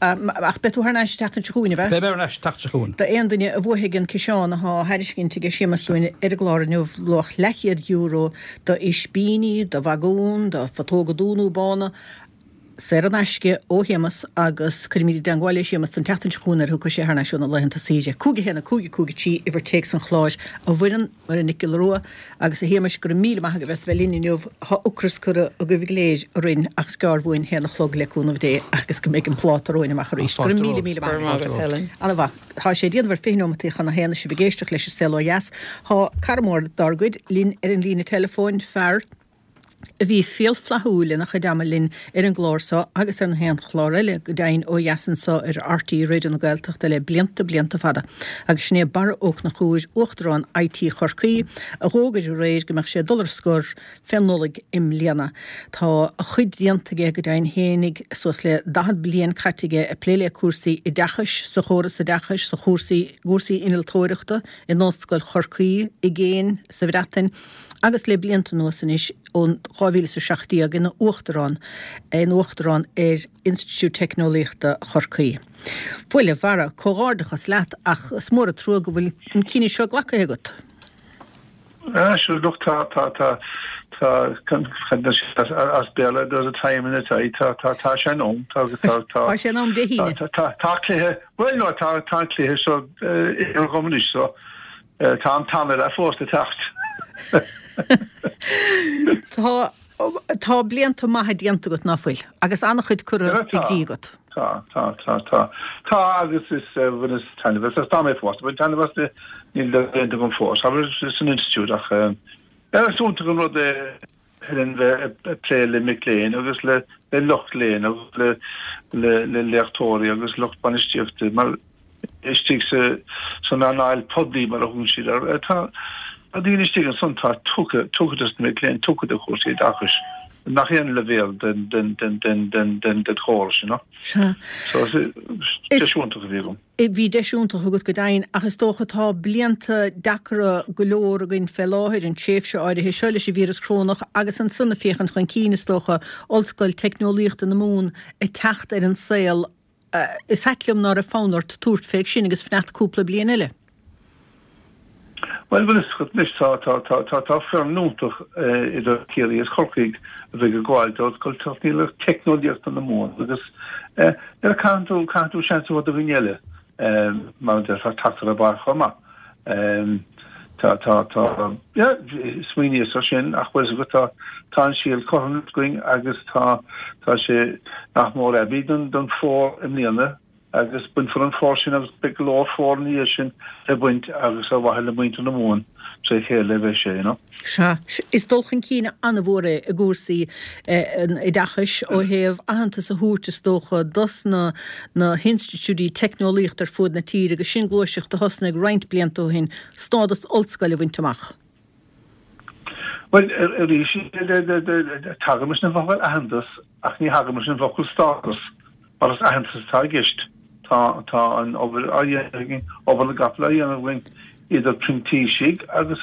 Speaker 1: ach beidh tú thar n-ais an tseachtain seo chugainn, ab ea?
Speaker 2: Beidh mé ar ais an tseachtain seo chugainn.
Speaker 1: D'aon duine a bhuafaidh an ciseán atá á thairiscint ag Séamus dúinn ar an gclár inniu, luach leathchéad euro do ispíní, do bhagún, do phutóga dubha nó bána, saor in aisce ó Shéamus agus cuirfimid i dteangmháil le Séamus don tseachtain seo chugainn nuair a thiocfaidh sé thar n-ais ó na laethanta saoire. Cúig a haon a cúig a cúig a trí uimhir téacs an chláir a Mhuireann, Muireann Nic Giolla Rua agus a Shéamais go raibh míle maith agaibh as bheith linn inniu. Tá ocras curtha agaibh go léir orainn ach is gearr uainn haon a chlog le cúnamh Dé agus go mbeidh an pláta romhainn amach arís. Go raibh míle míle maith agat. Ana-mhaith. Tá sé déanamh ar fiche nóimeataí chun a haon is sibh ag éisteacht leis an Saol Ó Dheas. Tá cara mór dár gcuid linn ar an líne teileafóin, fear a bhí fial flaithiúil ina chuid ama linn ar an gclár seo agus ar na haon chlár eile, go deimhin, ó dheas anso ar RTÉ Raidió na Gaeltachta le blianta, blianta fada. Agus sin é Barra Ó Conchúir, Uachtarán IT Chorcaí, a dh'fhógair aréir go mbeadh sé ag dul ar scor fé Nollaig i mbliana. Tá a chuid déanta aige go deimhin fhéinig, suas le daichead bliain caite aige ag plé le cúrsaí oideachais sa chóras oideachais, sa chúrsaí, gcúrsaí innealtóireachta, in Ollscoil Chorcaí, i gcéin, sa Bhreatain, agus le blianta anuas anois, ó dhá mhíle is a seacht déag, ina uachtarán ina uachtarán ar Institiúid Teicneolaíochta Chorcaí. Bhuel, a Bharra, comhghairdeachas leat, ach is mór an trua go bhfuil an cinneadh seo glactha agat.
Speaker 6: Ah, sure, look, tá, tá, tá, tá, as Béarla, there's a time and a tide, tá, tá, tá sé in am, tá, tá, tá.
Speaker 1: Tá sé in am Dé hAoine.
Speaker 6: Tá, tá, tá cluiche, bhuel, no, tá, tá an cluiche so, idir dhom anois, so, tá an t-am eile fós le teacht.
Speaker 1: Tá, tá blianta maithe déanta agat, ná fuil? Agus an-chuid curtha i gcrích agat.
Speaker 6: Tá, tá, tá, tá. Tá agus is bhaineas taitneamh as, tá mé fós, bain taitneamh as níl déanta agam fós, abair san institiúid ach is iontach an rud é Helen bheith ag plé le mic léinn agus le lucht léinn agus le le léachtóirí agus lucht bainistíochta mar istigh sa san earnáil poiblí mar a thugann siad air. Tá daoine istigh ansan atá tugtha, tugtha dos na mic léinn, tugtha do chúrsaí oideachais i ngach aon leibhéal den, den, den, den, den, den, den chóras, you know.
Speaker 1: Sea.
Speaker 6: So is deis iontach a bhí agam.
Speaker 1: Bhí deis iontach agat go deimhin, ach is dócha tá blianta deacra go leor againn fé láthair, an tréimhse áirithe seo leis an víreas corónach agus ansan ag féachaint chun cinn, is dócha, Ollscoil Teicneolaíochta na Mumhan ag teacht ar an saol, Is ait liom ná raibh fonn ort tabhairt fé sin agus fanacht cúpla bliain eile.
Speaker 6: Bhuel, bhfuil fhios agat anois, tá, tá, tá, tá, tá foireann iontach idir Ciarraí is Corcaigh a bheidh ag gabháil d'Ollscoil Teicneolaíochta na Mumhan agus eh, nuair a caitheann tú, caitheann tú seans a thabhairt do dhaoine eile, mar a déarfá, teacht ar an bpáirc chomh maith. Tá, tá, tá, yeah, smaoiníos ar sin ach bhfuil fhios agat, tá, tá an síol curtha againn agus tá, tá sé nach mór aibí don, don fómhar i mbliana agus bainfear an fómhar sin agus beidh go leor fómhar ina dhiaidh sin le baint agus ar mhaithe le muintir na Mumhan tré chéile a bheidh sé, you know.
Speaker 1: Sea, is dul chun cinn an-mhór é i gcúrsaí an oideachais ó thaobh aitheantas a thabhairt, is dócha, dos na na hinstitiúidí teicneolaíochta ar fuaid na tíre agus sin gluaiseacht a thosnaigh roinnt blianta ó shin, stádas ollscoile a bhaint amach.
Speaker 6: Bhuel, arís, tagaim leis an bhfocal aitheantas ach ní thagaim leis an bhfocal stádas mar is aitheantas atá i gceist. Tá tá an obair á dhéanamh againn, obair na gcapall á dhéanamh againn idir printísigh agus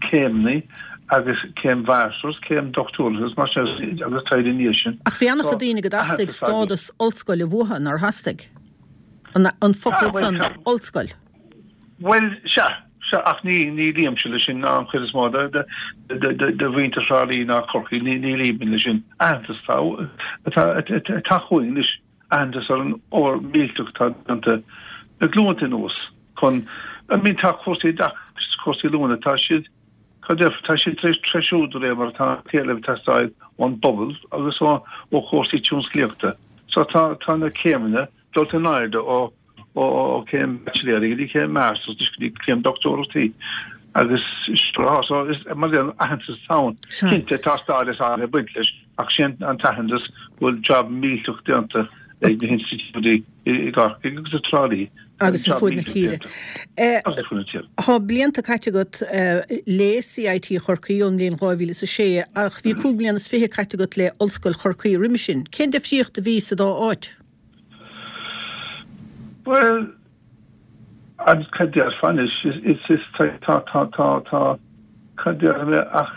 Speaker 6: céimeanna agus céim mháistreachta, céim dochtúireachta agus mar sin agus taighde ina dhiaidh sin.
Speaker 1: Ach bhí an-chuid daoine go dteastaigh stádas ollscoile uathu, nár theastaigh? An focal san, ollscoil.
Speaker 6: Bhuel, sea, sea, ach ní, ní luímse leis sin, ná an chuid is mó de, de, de, de, de mhuintir Thrá Lí ná Chorcaí, ní, ní luímid leis sin. Aitheantas atá, atá, atá chugainn anois, aitheantas ar an obair mhillteach atá déanta le glúnta anuas chun, I mean, tá cúrsaí oideachais, cúrsaí oiliúna, tá siad, cad déarfá, tá siad tar éis treisiú de réir mar atá an t-éileamh ag teastáil ón bpobal agus ó, ó chúrsaí tionsclaíochta. So tá, tá na céimeanna dulta in airde ó, ó chéim baitsiléirí go dtí céim masters go dtí céim dochtúireachtaí agus so is mar an aitheantas atá ann. Cinnte tá stádas ag baint leis ach sin an t-aitheantas go bhfuil job millteach déanta ag na hinstitiúidí i gCorcaigh agus i dTrá Lí.
Speaker 1: Agus ar fud na tíre.
Speaker 6: Agus ar fud na tíre.
Speaker 1: Tá blianta caite agat le CIT Chorcaí ón mbliain dhá mhíle is a sé ach bhí cúig bliana is fiche caite agat le Ollscoil Chorcaí roimhe sin. Cén difríocht a bhí sa dá áit?
Speaker 6: Bhuel, an cad déarfá anois, is, is, tá, tá, tá, tá, tá, cad déarfaidh mé ach,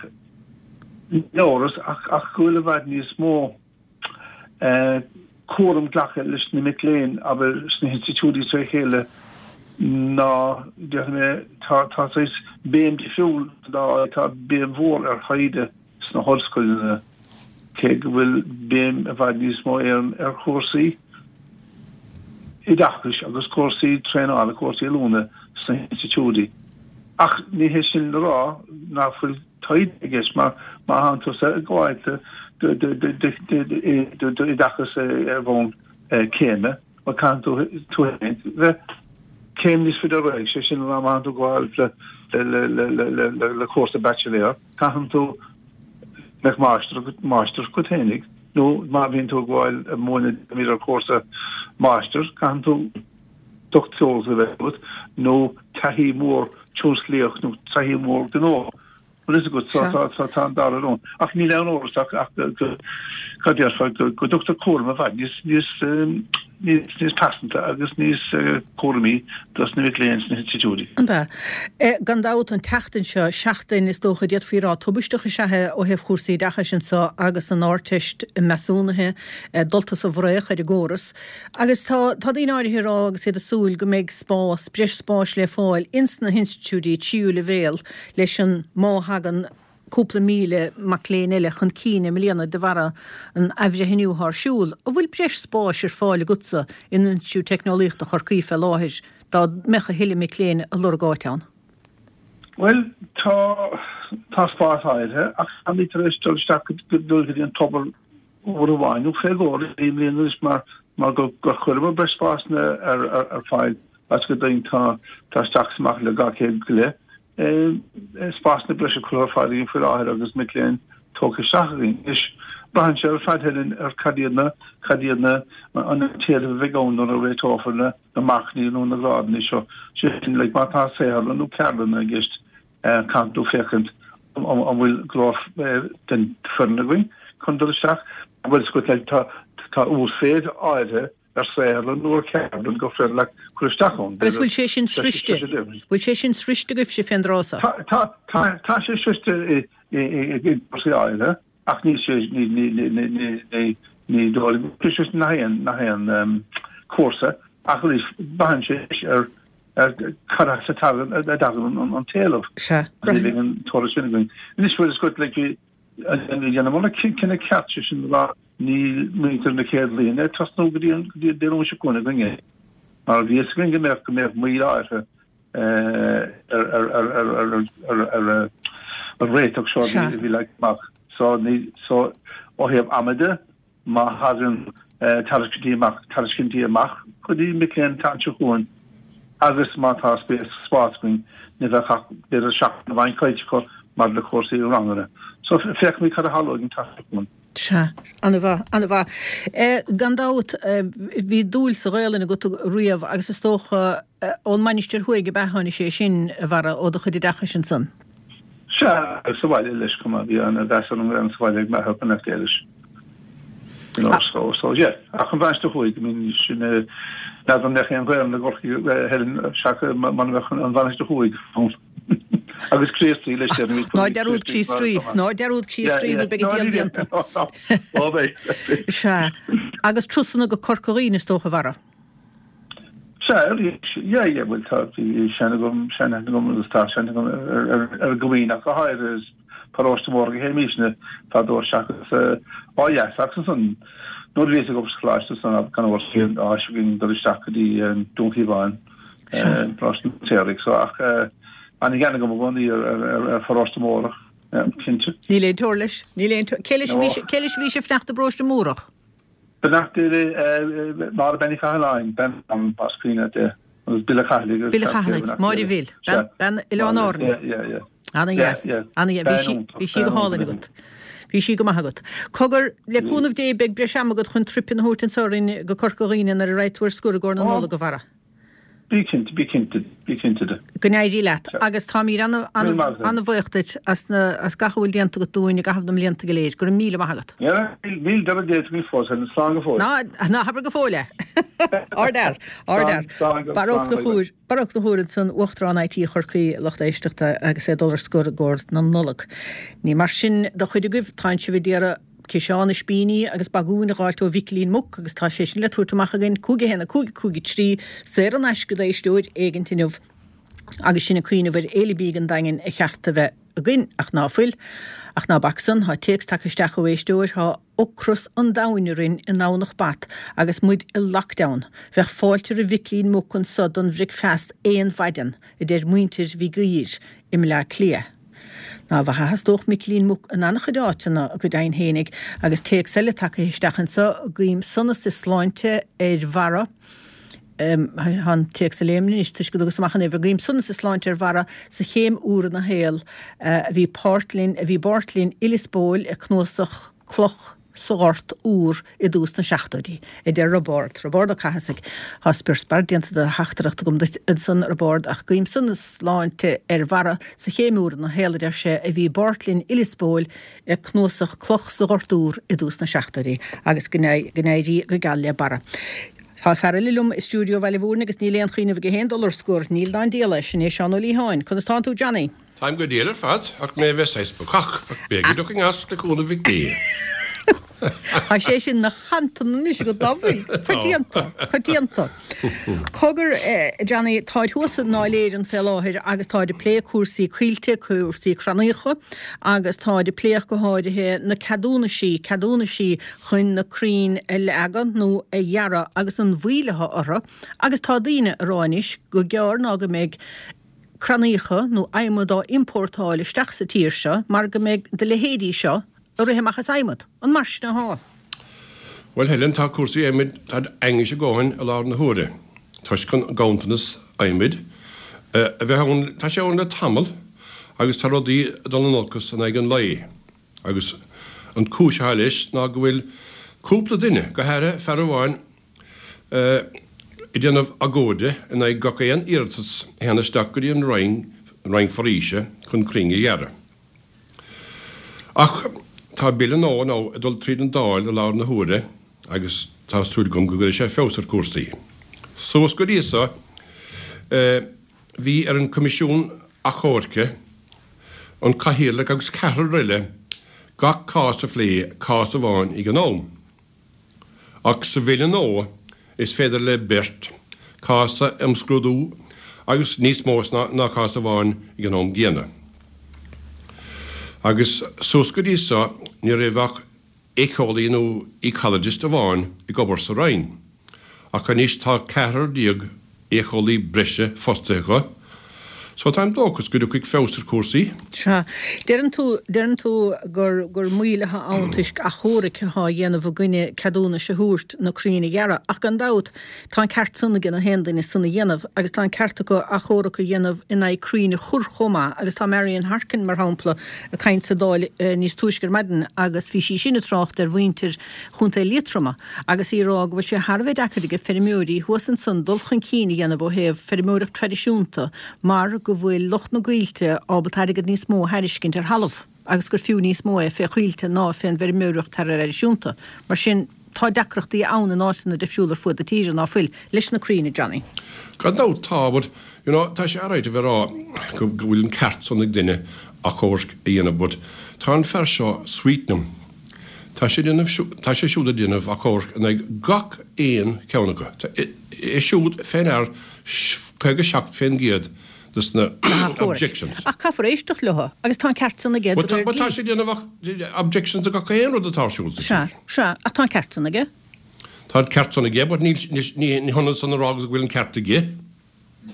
Speaker 6: níl amhras ach, ach go bhfuil i bhfad níos mó eh, cúram glactha leis na mic léinn, abair, sna hinstitiúidí tré chéile ná, déarfaidh mé, tá, tá saghas béim difriúil ná, tá béim mhór ar thaighde sna hollscoileanna, cé go bhfuil béim i bhfad níos mó ar ar chúrsaí oideachais agus cúrsaí traenála, cúrsaí oiliúna sna hinstitiúidí. Ach ní hé sin le rá nach bhfuil taighde i gceist mar má thánn tusa ag gabháil d'oideachas ar bhonn céime, bhuel caithfidh tú tú féin bheith céim níos faide ar aghaidh, sé sin le rá má thánn tú ag gabháil le cúrsa baitsiléir, caithfidh tú mbeadh máistir máistreacht agat féinig nó má bhíonn tú ag gabháil ag múineadh ar chúrsa máistir caithfidh tú dochtúireacht a bheith agat nó taithí mhór tionsclaíoch nó taithí mhór gnó bhfuil fhios agat so tá tá tá an dara rud ach níl aon amhras ach ach go cad déarfá go go dtugtar cúram i bhfad níos níos níos níos pearsanta agus níos cúramaí dos na mic léinn sna hinstitiúidí.
Speaker 1: An ea? Gan dabht, an tseachtain seo, seachtain is dócha d'fhéadfaí a rá tubaisteach is ea é ó thaobh chúrsaí oideachais anseo agus an Ardteist measúnaithe dulta sa bhfraoch ar an gcóras. Agus tá tá daoine áirithe ag rá agus iad ag súil go mbeidh spás, breis spáis le fáil ins na hinstitiúidí tríú leibhéal leis an má thagann cúpla míle mac léinn eile chun cinn i mbliana de bharra an athbhreithniú atá ar siúl. An bhfuil breis spáis ar fáil agatsa in Institiúid Teicneolaíochta Chorcaí fé láthair dá mbeadh a thuilleadh mic léinn ag lorg áit ann?
Speaker 6: Bhuel, tá, tá spás áirithe ach táimid tar éis dul isteach go dul go dtí an tobar uair amháin nó fé dhó i mbliana anois mar mar gur gur chuireamar breis spásanna ar ar ar fáil agus go deimhin tá tá isteach is amach le dhá chéad go leith spásanna breise curtha ar fáil againn faoi láthair agus mic léinn tógtha isteach againn. Anois, braitheann sé ar fad Helen ar cad iad na, cad iad na, an t-éileamh a bheidh ann nuair a réiteofar na, na marcanna nó na grádanna seo. Sé sin, like, má tá saotharlann nó ceardlanna i gceist, caithfidh tú féachaint an bhfuil go leor den foireann againn chun dul isteach. Bhuel, is like, tá, tá uasmhéid áirithe ar saotharlann nó ar cheardlann gur féidir leat cur isteach ann.
Speaker 1: Agus bhfuil sé sin sroichte? Bhfuil sé sin sroichte agaibhse fén dtráth
Speaker 6: so? Tá, tá, tá sé sroichte i, i, i, i gcúrsaí áirithe ach níl sé, ní, ní, ní, ní, ní, ní, ní dóigh liom go bhfuil sé sroichte nach aon, nach aon cúrsa ach arís braitheann sé ar, ar cad as a dtagann, a dtagann an, an t-éileamh.
Speaker 1: Sea.
Speaker 6: Ní bheidh an toradh sin againn. Anois bhfuil fhios agat like bhí, Dhéanamar an cinneadh ceart, sé sin le rá níl muintir na chéad bhliana ag tosnú go dtí an Dé Luain seo chugainn againne mar bhí fhios againn go mbeadh go mbeadh moill áirithe ar ar ar ar ar ar ar an réiteach seo a bhí leagtha amach. So ní so ó thaobh ama de má thagann tairiscintí amach, tairiscintí amach go dtí mic léinn an tseachtain seo chugainn agus má tá spéis, spás againn, ní bheadh ach b'fhéidir seachtain amháin caillte acu maidir le cúrsaí ranganna. So féachfaimid cad a tharlóidh an tseachtain seo chugainn.
Speaker 1: Sea, an-mhaith, an-mhaith. Gan dabht, bhí dúil sa Ghaelainn agat riamh agus is dócha ón Mainistir Thuaidh ab ea a tháinig sé sin, a Bharra, ó do chuid oideachais ansan?
Speaker 6: Sea, agus sa bhaile leis chomh maith, bhí an-mheas ar an nGaelainn sa bhaile ag m'athair go mbeadh Éilis. You know, so, so yeah. Ach an Mhainistir Thuaidh, I mean, sin, n'fheadar an mbeadh aon Ghaelainn i gCorcaigh, Helen, seachas muna mbeadh an Mhainistir Thuaidh ann. Agus Críostaí leis déarfainn, bhí
Speaker 1: Ná dearúd Críost Rí, ná dearúd Críost Rí nó beidh an diabhal déanta.
Speaker 6: Ó beidh.
Speaker 1: Sea. Agus turasanna go Corca Dhuibhne is dócha, a Bharra.
Speaker 6: Sea, arís, yeah, yeah, bhuel tá, bhí sean agam, seanaithne agam agus tá seanaithne agam ar, ar, ar an gCoimín ach go háirithe is paróiste mór a théimísne fadó seachas ó dheas ach ansan nuair a bhíos ag obair sa choláiste ansan gan amhras bhí an áis againn dul isteach go dtí Dún Chíomháin, Paróiste an Tsaoraigh so ach an-ghean agam i gcónaí ar, ar, ar, ar pharóiste Mórach, yeah, cinnte.
Speaker 1: Níl aon teora leis, níl aon teora, cé leis a bhí, cé leis a bhí sibh fanacht i bparóiste Mórach?
Speaker 6: Beannacht Dé le Máire Bean Uí Chathalláin, bean más cuimhin leat é, agus Bill Ó Cathallaigh agus
Speaker 1: Bill Ó Cathallaigh, Máire Bhill, bean Oileán Árann. Ana-dheas, ana-dheas, bhí sí, bhí sí go hálainn agat. Bhí sí go maith agat. Cogar, le cúnamh Dé beidh breis ama agat chun trip a thabhairt anso orainn go Corca Dhuibhne nuair a raghaidh tú ar scor i gcomhair na Nollag, a Bharra.
Speaker 6: Bí cinnte, bí cinnte, bí cinnte de.
Speaker 1: Go n-éirí leat. Agus táimid an-bhuíoch duit as gach a bhfuil déanta agat dúinn i gcaitheamh na mblianta go léir. Go raibh míle maith agat.
Speaker 6: Níl deireadh déanta againn fós, Helen. Slán go fóill.
Speaker 1: Ná, ná habair go fóill é. Ardfhear, ardfhear. Barra Ó Conchúir, Barra Ó Conchúir ansan, Uachtarán IT Chorcaí, lucht éisteachta, agus é ag dul ar scor i gcomhair na Nollag. Ní mar sin do chuid agaibh, tánn sibh ag iarraidh ciseán ispíní agus bagún a dh'fháilt ó Mhicilín Muc agus tá sé sin le tabhairt amach againn, cúig a haon a cúig a cúig a trí, saor in aisce d'éisteoir éigint inniu agus sinn ag cuimhneamh ar Fhéile Bídh an Daingin a cheart a bheith againn, ach ná fuil. Ach ná bac san, tá téacs tagtha isteach ó éisteoir, tá ocras an domhain orainn i nDomhnach Bat agus muid i lockdown. Bheadh fáilte roimh Mhicilín Muc anso don bhricfeast aon mhaidean, a deir muintir Mhig Uidhir i mBleá Cliath. Ná bhfacthas dóch Micilín Muc in an-chuid áiteanna, go deimhin fhéinig, agus téacs eile tagtha isteach anso, Guím sonas is sláinte ar Bharra, tá an téacs ag léim anois toisc go dtugas amach an uimhir, Guím sonas is sláinte ar Bharra sa chéim úr ina shaol, a bhí páirt linn, a bhí i bpáirt linn i Lios Póil i cnuasach Cloch sa Ghort Úr i dtús na seachtóidí, a deir Roibeárd, Roibeárd Ó Cathasaigh. Tá spior spear déanta de theachtaireacht agam duit ansan, a Roibeárd, ach guím sonas is sláinte ar Bharra sa chéim úr ina shaol, a deir sé, a bhí i bpáirt linn i Lios Póil i cnuasach Cloch sa Ghort Úr i dtús na seachtóidí, agus go n-éirí go geal le Barra. Tá fear eile liom i stiúideo Bhaile Mhúirne agus níl aon chuimhneamh aige féin dul ar scor, níl ná an diabhal é, sin é Seán Ó Liatháin. Conas tánn tú, Johnny?
Speaker 7: Táim go diail ar fad, ach mé a bheith saghas bacach, ach beidh go dtiocfaidh as, le cúnamh Mhic Dé.
Speaker 1: Tá sé sin 'na chantan anois agat, ná fuil? Coitianta, coitianta. Cogar, Johnny, táid thuas i nDáil Éireann fé láthair agus táid ag plé cúrsaí coillte, cúrsaí crannaíocha agus táid ag plé ach go háirithe na ceadúnaisí, ceadúnaisí chun na crainn a leagadh nó a ghearradh agus an mhoill atá orthu agus tá daoine ag rá anois gur gearr ná go mbeidh crannaíocha nó adhmad á iompórtáil isteach sa tír seo mar go mbeidh do leithéidí seo ag rith amach as adhmad. An mar sin athá?
Speaker 7: Bhuel, Helen, tá cúrsaí adhmaid, táid ainnis a dhóthain i láthair na huaire, toisc an ganntanas adhmaid a bheith ann, tá sé ann le tamall agus tá rudaí ag dul in olcas in aghaidh an lae. Agus an cúis atá leis ná go bhfuil cúpla duine, go háirithe fear amháin, ag déanamh agóide in aghaidh gach aon iarratas a théann isteach go dtí an Roinn, an Roinn Foraoise, chun crainn a ghearradh. Ach tá bille nua now ag dul tríd an Dáil i láthair na huaire agus tá súil agam go gcuirfidh sé feabhas ar chúrsaí. Suas go dtí so, bhí ar an Coimisiún Achomhairc, an Cathaoirleach agus ceathrar eile gach cás a phlé, cás amháin ag an am. Ach sa bhille nua is féidir le beirt cás a imscrúdú agus níos mó ná cás amháin ag an am gcéanna. Agus suas go dtí so ní raibh ach éiceolaí nó ecologist amháin ag obair sa Roinn, ach anois tá ceathrar déag éiceolaí breise fostaithe acu So táim dóchas go dtiocfaidh feabhas ar chúrsaí.
Speaker 1: Sea. Deireann tú, deireann tú gur, gur moill atá ann toisc achomhairc atá á dhéanamh i gcoinne ceadúnais a thabhairt na crainn a ghearradh. Ach gan dabht, tá an ceart san ag na haon duine san a dhéanamh agus tá an ceart acu achomharc a dhéanamh in aghaidh crainn a chur chomh maith agus tá Marian Harkin, mar shampla, ag caint sa Dáil níos túisce ar maidin agus bhí sí sin ag trácht ar mhuintir Chontae Liatroma agus í ag rá go bhfuil sé thar a bheith deacair ag feirmeoirí thuas ansan dul chun cinn a dhéanamh ó thaobh feirmeoireacht traidisiúnta mar go bhfuil lucht na gcoillte ábalta airgead níos mó a thairiscint ar thalamh agus gur fiú níos mó é fé choillte ná fén bhfeirmeoireacht thraidisiúnta. Mar sin, tá deacrachtaí ann in áiteanna difriúla ar fuaid na tíre, ná fuil, leis na crainn, a Johnny?
Speaker 7: Gan dabht tá, but, you know, tá sé alright a bheith ag rá go bhfuil an ceart san ag duine achomharc a dhéanamh but tá an fear seo, Sweetnam, tá sé déanamh, tá sé siúd ag déanamh achomharc in aghaidh gach aon cheann acu. Tá é siúd fé ndear caoga seacht fén gcéad dos na objections.
Speaker 1: Ach caithfear éisteacht leo agus tá an ceart san aige de réir
Speaker 7: dlí. Tá sé ag déanamh objections do gach aon rud atá ar siúl sa
Speaker 1: tír. Sea, sea, ach tá an ceart san aige.
Speaker 7: Tá an ceart san aige, but ní hionann san a rá agus go bhfuil an ceart aige.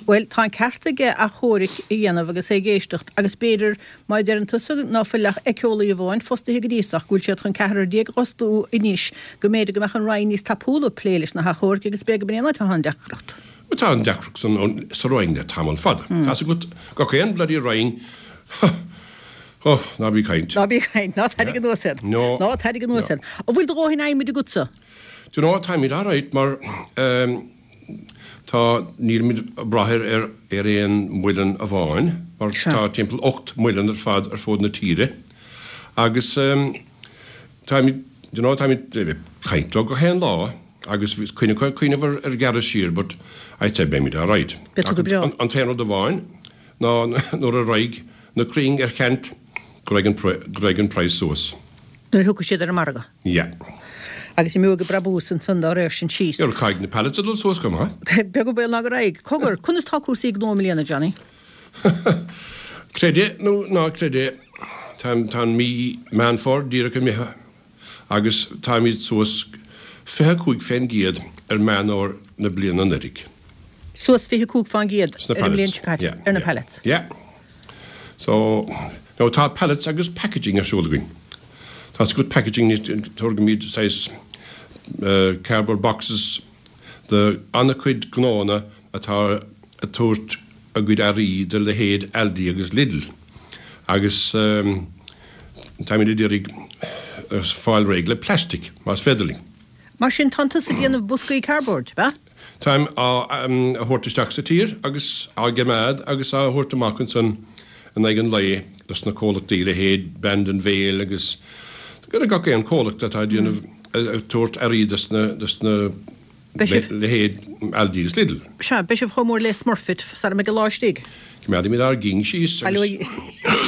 Speaker 1: Bhuel, tá an ceart aige achomharc a dhéanamh agus é ag éisteacht agus b'fhéidir, má deireann tusa ná fuil ach éiceolaí amháin fostaithe go dtí so ach go bhfuil siad chun ceathrar déag a fhostú anois, go mb'fhéidir go mbeadh an Roinn níos tapúla ag plé leis na hachomhairc agus b'fhéidir go b'in é an áit atá an deacracht.
Speaker 7: Bhuel, tá an deacracht san sa Roinn le tamall fada. Tá's agat, gach aon bloody Roinn, oh, ná bí ag caint.
Speaker 1: Ná bí ag caint, ná tarraing anuas iad.
Speaker 7: No.
Speaker 1: Ná tarraing anuas iad. An bhfuil do dhóthain adhmaid agatsa?
Speaker 7: Do you know, táimid alright mar ehm, tá, nílimid ag brath ar, ar, ar aon muileann amháin mar
Speaker 1: Sea.
Speaker 7: tá timpeall ocht muileann ar fad ar fud na tíre agus ehm, táimid, do you know, táimid ag caint leo gach aon lá agus bhí cuid acu ag cuimhneamh ar, ar ghearradh siar but I'd say beimid alright.
Speaker 1: Beidh tú go breá.
Speaker 7: An, an t-aon rud amháin ná nuair a raghaidh na crainn ar ceant go raghaidh an, go raghaidh an praghas suas.
Speaker 1: Nuair a thiocfaidh siad ar an margadh.
Speaker 7: Yeah.
Speaker 1: Agus imeoidh an brabús ansan dá réir sin síos.
Speaker 7: Yeah, caithfidh na pallets a dhul suas chomh maith.
Speaker 1: Beag an baol ná go raghaidh. Cogar, conas tá cúrsaí gnó i mbliana, Johnny?
Speaker 7: Creid é nó ná creid é, tá, tá an mí Meán Fómhair díreach imithe agus táimid suas fiche cúig fén gcéad ar Meán Fómhair na bliana anuraidh.
Speaker 1: Suas fiche cúig fán gcéad
Speaker 7: Sna
Speaker 1: ar an mbliain
Speaker 7: pallets.
Speaker 1: seo caite,
Speaker 7: Yeah,
Speaker 1: ar na
Speaker 7: yeah.
Speaker 1: pallets.
Speaker 7: Yeah. So, now tá pallets agus packaging ar siúl againn. Tá's agat packaging táirgimid saghas cardboard boxes do an-chuid gnóanna atá ag tabhairt a gcuid earraí do leithéid Aldi agus Lidl agus táimid ag iarraidh fáil réidh le plastic más féidir linn.
Speaker 1: Mar sin tánn tusa ag déanamh boscaí cardboard, ab ea?
Speaker 7: Táim á thabhairt isteach sa tír agus á gcoimeád agus á thabhairt amach ansan in aghaidh an lae dos na comhlachtaí, leithéid Bandon Vale agus gach aon chomhlacht atá ag déanamh, ag tabhairt earraí dos na, dos na leithéid Aldi agus Lidl.
Speaker 1: Sea, beidh sibh chomh mór le Smurfit sara mbeidh an lá istigh.
Speaker 7: Coimeádfaimid ár gcinn síos agus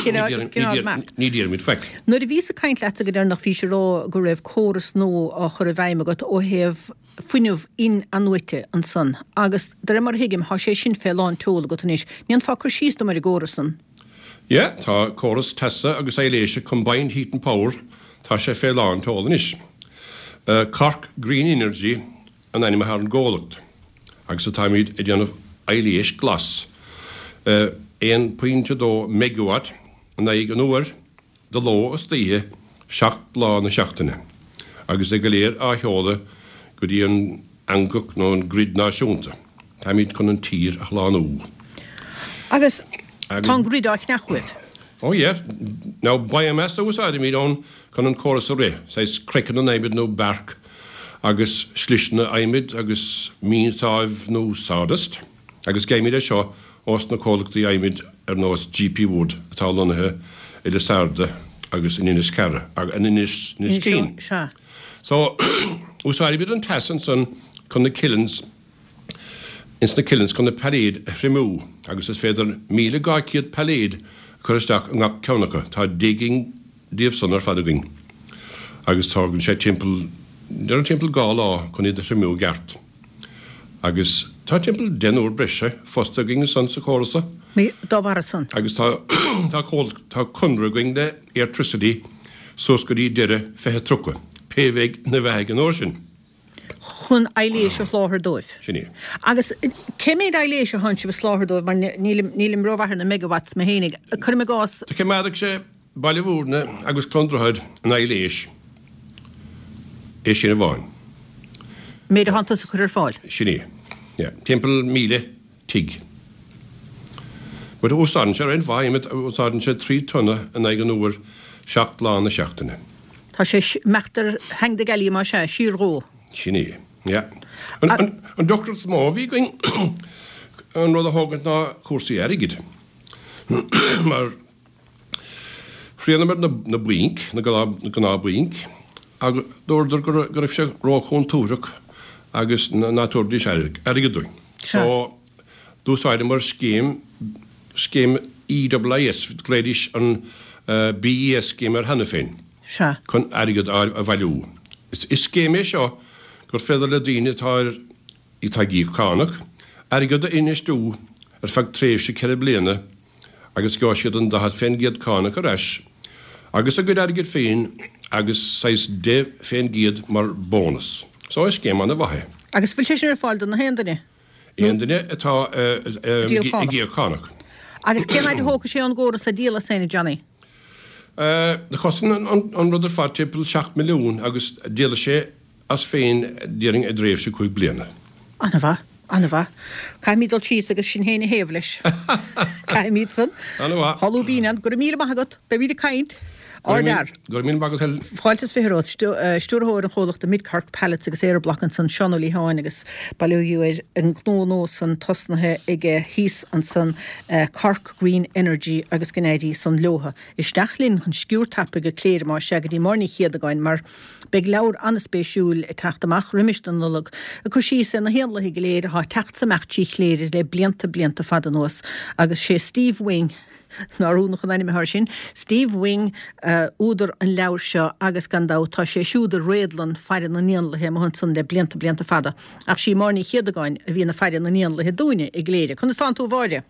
Speaker 7: ní déarfaimid faic.
Speaker 1: Nuair a bhíos ag caint leatsa go deireanach bhís ag rá go raibh córas nua á chur i bhfeidhm agat ó thaobh fuinneamh in-athnuaite ansan agus de réir mar a thuigim thá sé sin fé lán tseoil agat anois. Ndéanfá cur síos dom ar an gcóras san?
Speaker 7: Yeah, tá córas teasa agus aibhléise combined heat and power, tá sé fé lán tseoil anois. Cork Green Energy an ainm atá ar an gcomhlacht agus táimid ag déanamh aibhléis glas aon pointe dó megawatt in aghaidh an uair de ló is d'oíche seacht lá na seachtaine agus é go léir á sheoladh go dtí an eangach nó an grid náisiúnta. Táimid chun an tír a shlánú.
Speaker 1: Agus tá an grid á cheannach uaibh?
Speaker 7: Oh yeah. Now biomass a úsáidimid ann chun an córas a rith, saghas craiceann an adhmaid nó bark agus sliseanna adhmaid agus mionsáibh nó sawdust agus gheibhimid é seo ós na comhlachtaí adhmaid ar nós GP Wood atá lonnaithe i Lissarda agus in Inis Cara, in Inis Caoin. So, úsáidimid an teas ansan chun na kilns, ins na kilns chun na pailléid a thriomú agus is féidir míle dhá chéad pailléad a chur isteach i ngach ceann acu. Tá deich gcinn díobh san ar fad againn agus tógann sé timpeall, déarfainn timpeall dhá lá chun iad a thriomú i gceart. Agus tá timpeall deichniúr breise fostaithe againn ansan sa chóras so.
Speaker 1: Dá bharra san.
Speaker 7: Agus tá, tá comhlacht, tá conradh againn le Airtricity suas go dtí deireadh fiche tríocha, pé bheidh ina bheathaidh an uair sin.
Speaker 1: Chun aibhléis a sholáthar dóibh.
Speaker 7: Sin é.
Speaker 1: Agus cé méid aibhléis a thánn sibh a sholáthar dóibh, mar nílim, nílim rómhaith ar na megawatts mé fhéinig. Cuirim i gcás.
Speaker 7: Do choimeádfadh sé Baile Mhúirne agus Cluain Droichead in aibhléis, é sin amháin.
Speaker 1: Méid a thánn tusa a chur ar fáil.
Speaker 7: Sin é. Yeah. Timpeall míle tigh. But úsáideann sé roinnt mhaith adhmaid, úsáideann sé trí tonna in aghaidh an uair seacht lá na seachtaine.
Speaker 1: Tá sé ag imeacht ar theanga na gealaí más ea, siar dhó.
Speaker 7: Sin é. Yeah. An, an, an deacracht is mó a bhí againn an rud a thógaint ná cúrsaí airgid. Mar thriaileamar na, na bainc, na gnáth, na gnáthbhainc, agus dúradar go raibh, go raibh sé róchontúirteach agus ná tabharfaidís airgead dúinn. So, d'úsáideamar scéim, scéim EIIS, ghlaoidís an BES scheme air cheana féin, chun airgead a bhailiú. Is scéim é seo gur féidir le daoine atá ar, atá ag íoc cánach, airgead a infheistiú ar feadh tréimhse ceithre bliana agus gheobhaidh siad an daichead fén gcéad cánach ar ais agus a gcuid airgid féin agus saghas deich fén gcéad mar bónas. So is scéim ana-mhaith é.
Speaker 1: Agus bhfuil sé sin ar fáil do na haon duine?
Speaker 7: Aon duine atá ag íoc cánach.
Speaker 1: Agus cén fhaid a thógfaidh sé ón gcóras a dhíol as féin, a Johnny?
Speaker 7: Do chosain an rud ar fad timpeall seacht milliún agus díolfaidh sé as féin déarfainn i dtréimhse cúig bliana.
Speaker 1: Ana-mhaith, ana-mhaith. Caithfimid dul síos agus sinn féin a thaobh leis. Caithfimid san.
Speaker 7: Ana-mhaith.
Speaker 1: Tá lúibín ann. Go raibh míle maith agat. Beimid ag caint. Ardfhear.
Speaker 7: Go raibh míle maith agat, Helen.
Speaker 1: Fáilte is fiche romhat. Stiúrthóir an chomhlachta Mid Cork Pallets agus Aeroblock ansan, Seán Ó Liatháin agus bail ó Dhia air, an gnó nua san tosnaithe aige thíos ansan, Cork Green Energy agus go n-éirí san leotha. Isteach linn chun sciúr tapaidh go Cléire más ea go dtí Máire Ní Chéadagáin mar beidh leabhar an-spéisiúil ag teacht amach roimis an Nollaig ag cur síos ar na héanlaithe go léir atá ag teacht 's ag imeacht trí Chléire le blianta blianta fada anuas agus sé Steve Wing Nár ionach an ainm atá air sin? Steve Wing údar an leabhair seo agus gan dabht tá sé siúd i réadlann faire na n-éanlaithe amuigh ansan le blianta blianta fada. Ach sí Máire Ní Chéadagáin a bhíonn ag faire na n-éanlaithe dúinne i gCléire. Conas tánn tú a Mháire?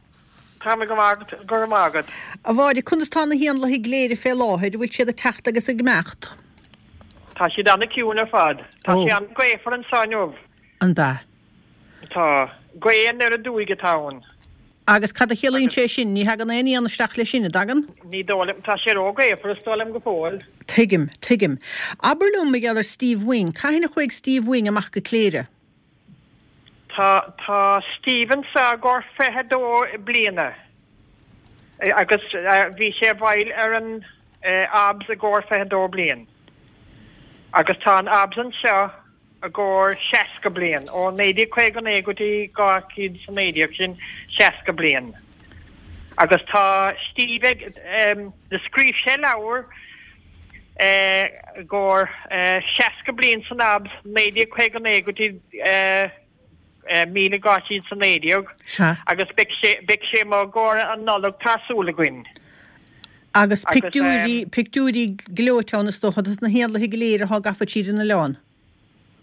Speaker 8: Tá mé go maith, go raibh maith agat.
Speaker 1: A Mháire, conas tá na héanlaithe i gCléire fé láthair, an bhfuil siad ag teacht agus ag imeacht?
Speaker 8: Tá siad an-ciúin ar fad. Tá sé an-ghaofar anseo inniu.
Speaker 1: An b'ea?
Speaker 8: Tá. Gaoth anoir aduaidh atá ann.
Speaker 1: Agus cad a chiallaíonn sé sin? Ní thagann aon éan isteach leis sin, an dtagann?
Speaker 8: Ní dóigh liom. Tá sé ró-ghaofar, is dóigh liom, go fóill.
Speaker 1: Tuigim, tuigim. Abair liom mar gheall ar Steve Wing. Cathain a chuaigh Steve Wing amach go Cléire?
Speaker 8: Tá, tá Steve anseo i gcomhair fiche dó bliana agus bhí sé i bhfeighil ar an ABS i gcomhair fiche dó bliain. Agus tá an ABS anseo i gcomhair seasca bliain, ó naoi déag caoga naoi go dtí dhá chéad is a naoi déag, sin seasca bliain. Agus tá Steve ag, do scríobh sé leabhar i gcomhair seasca bliain san ABS, naoi déag caoga naoi go dtí míle dhá chéad is a naoi déag, agus beidh sé, beidh sé amuigh i gcomhair an Nollag tá súil againn.
Speaker 1: Agus pictiúirí, pictiúirí gleoite ann is dócha, dos na héanlaithe go léir atá gafa tríd an oileán.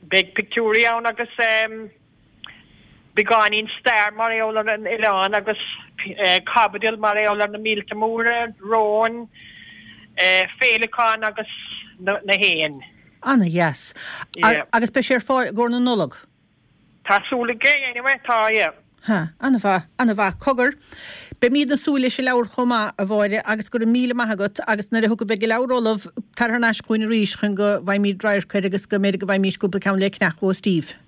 Speaker 8: Beidh pictiúirí ann agus beagáinín stair mar gheall ar an oileán agus caibidil mar gheall ar na míolta móra, róin, féileacáin agus na héin.
Speaker 1: Ana dheas. Agus beidh sé ar fáil i gcomhair na Nollag?
Speaker 8: Tá súil againn, anyway, tá, yeah.
Speaker 1: Ha, ana-mhaith, ana-mhaith. Cogar, beimíd ag súil leis an leabhar chomh maith, a Mháire, agus go raibh míle maith agat, agus nuair a thiocfaidh, beidh an leabhar ullamh, tar thar n-ais chugainn arís chun go bhfaighimíd radharc air agus go mb'fhéidir go bhfaighimís cúpla ceann le ceannach ó Steve.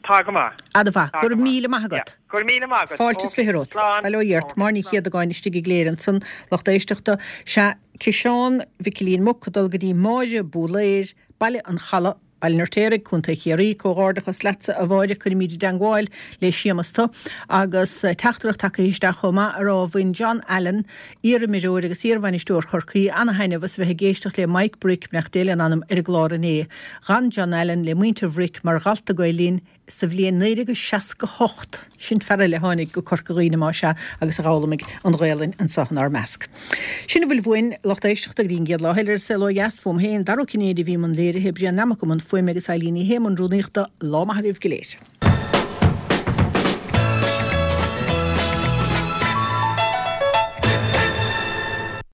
Speaker 8: Tá go maith.
Speaker 1: Ana-mhaith. Go raibh míle maith agat.
Speaker 8: Go raibh míle maith agat.
Speaker 1: Fáilte is fiche romhat.
Speaker 8: Slán.
Speaker 1: Bail ó Dhia ort. Máire Ní Chéadagáin istigh i gCléire ansan, lucht éisteachta. Sea, ciseán Mhicilín Muc ag dul go dtí Máire Búlaeir, Baile an Chalaidh, Baile an Fheirtéaraigh, Contae Chiarraí, Comhghairdeachas leatsa, a Mháire, cuirfimid i dteangmháil le Séamas tu. Agus teachtaireacht tagtha isteach chomh maith a rá bhain John Allen, iar-imreoir agus iar-bhainisteoir Chorcaí, ana-thaitneamh as a bheith ag éisteacht le Mike Brick, beannacht Dé lena anam, ar an gclár inné. D'fhan John Allen le muintir Bhric mar dhalta Gael Linn Sa bhliain naoi déag seasca hocht, sin fear eile a tháinig go Corca Dhuibhne más ea agus a dh'fhoghlaimigh an Ghaelainn anseo inár measc. Sin a bhfuil uainn, lucht éisteachta, go dtí an gcéad lá eile ar An Saol Ó Dheas, fúm féin, Dara Ó Cinnéide a bhí i mbun léirithe, Brian Nammock i mbun fuaime agus Eileen Ní Shé i mbun rúnaíochta. Lá maith agaibh go léir.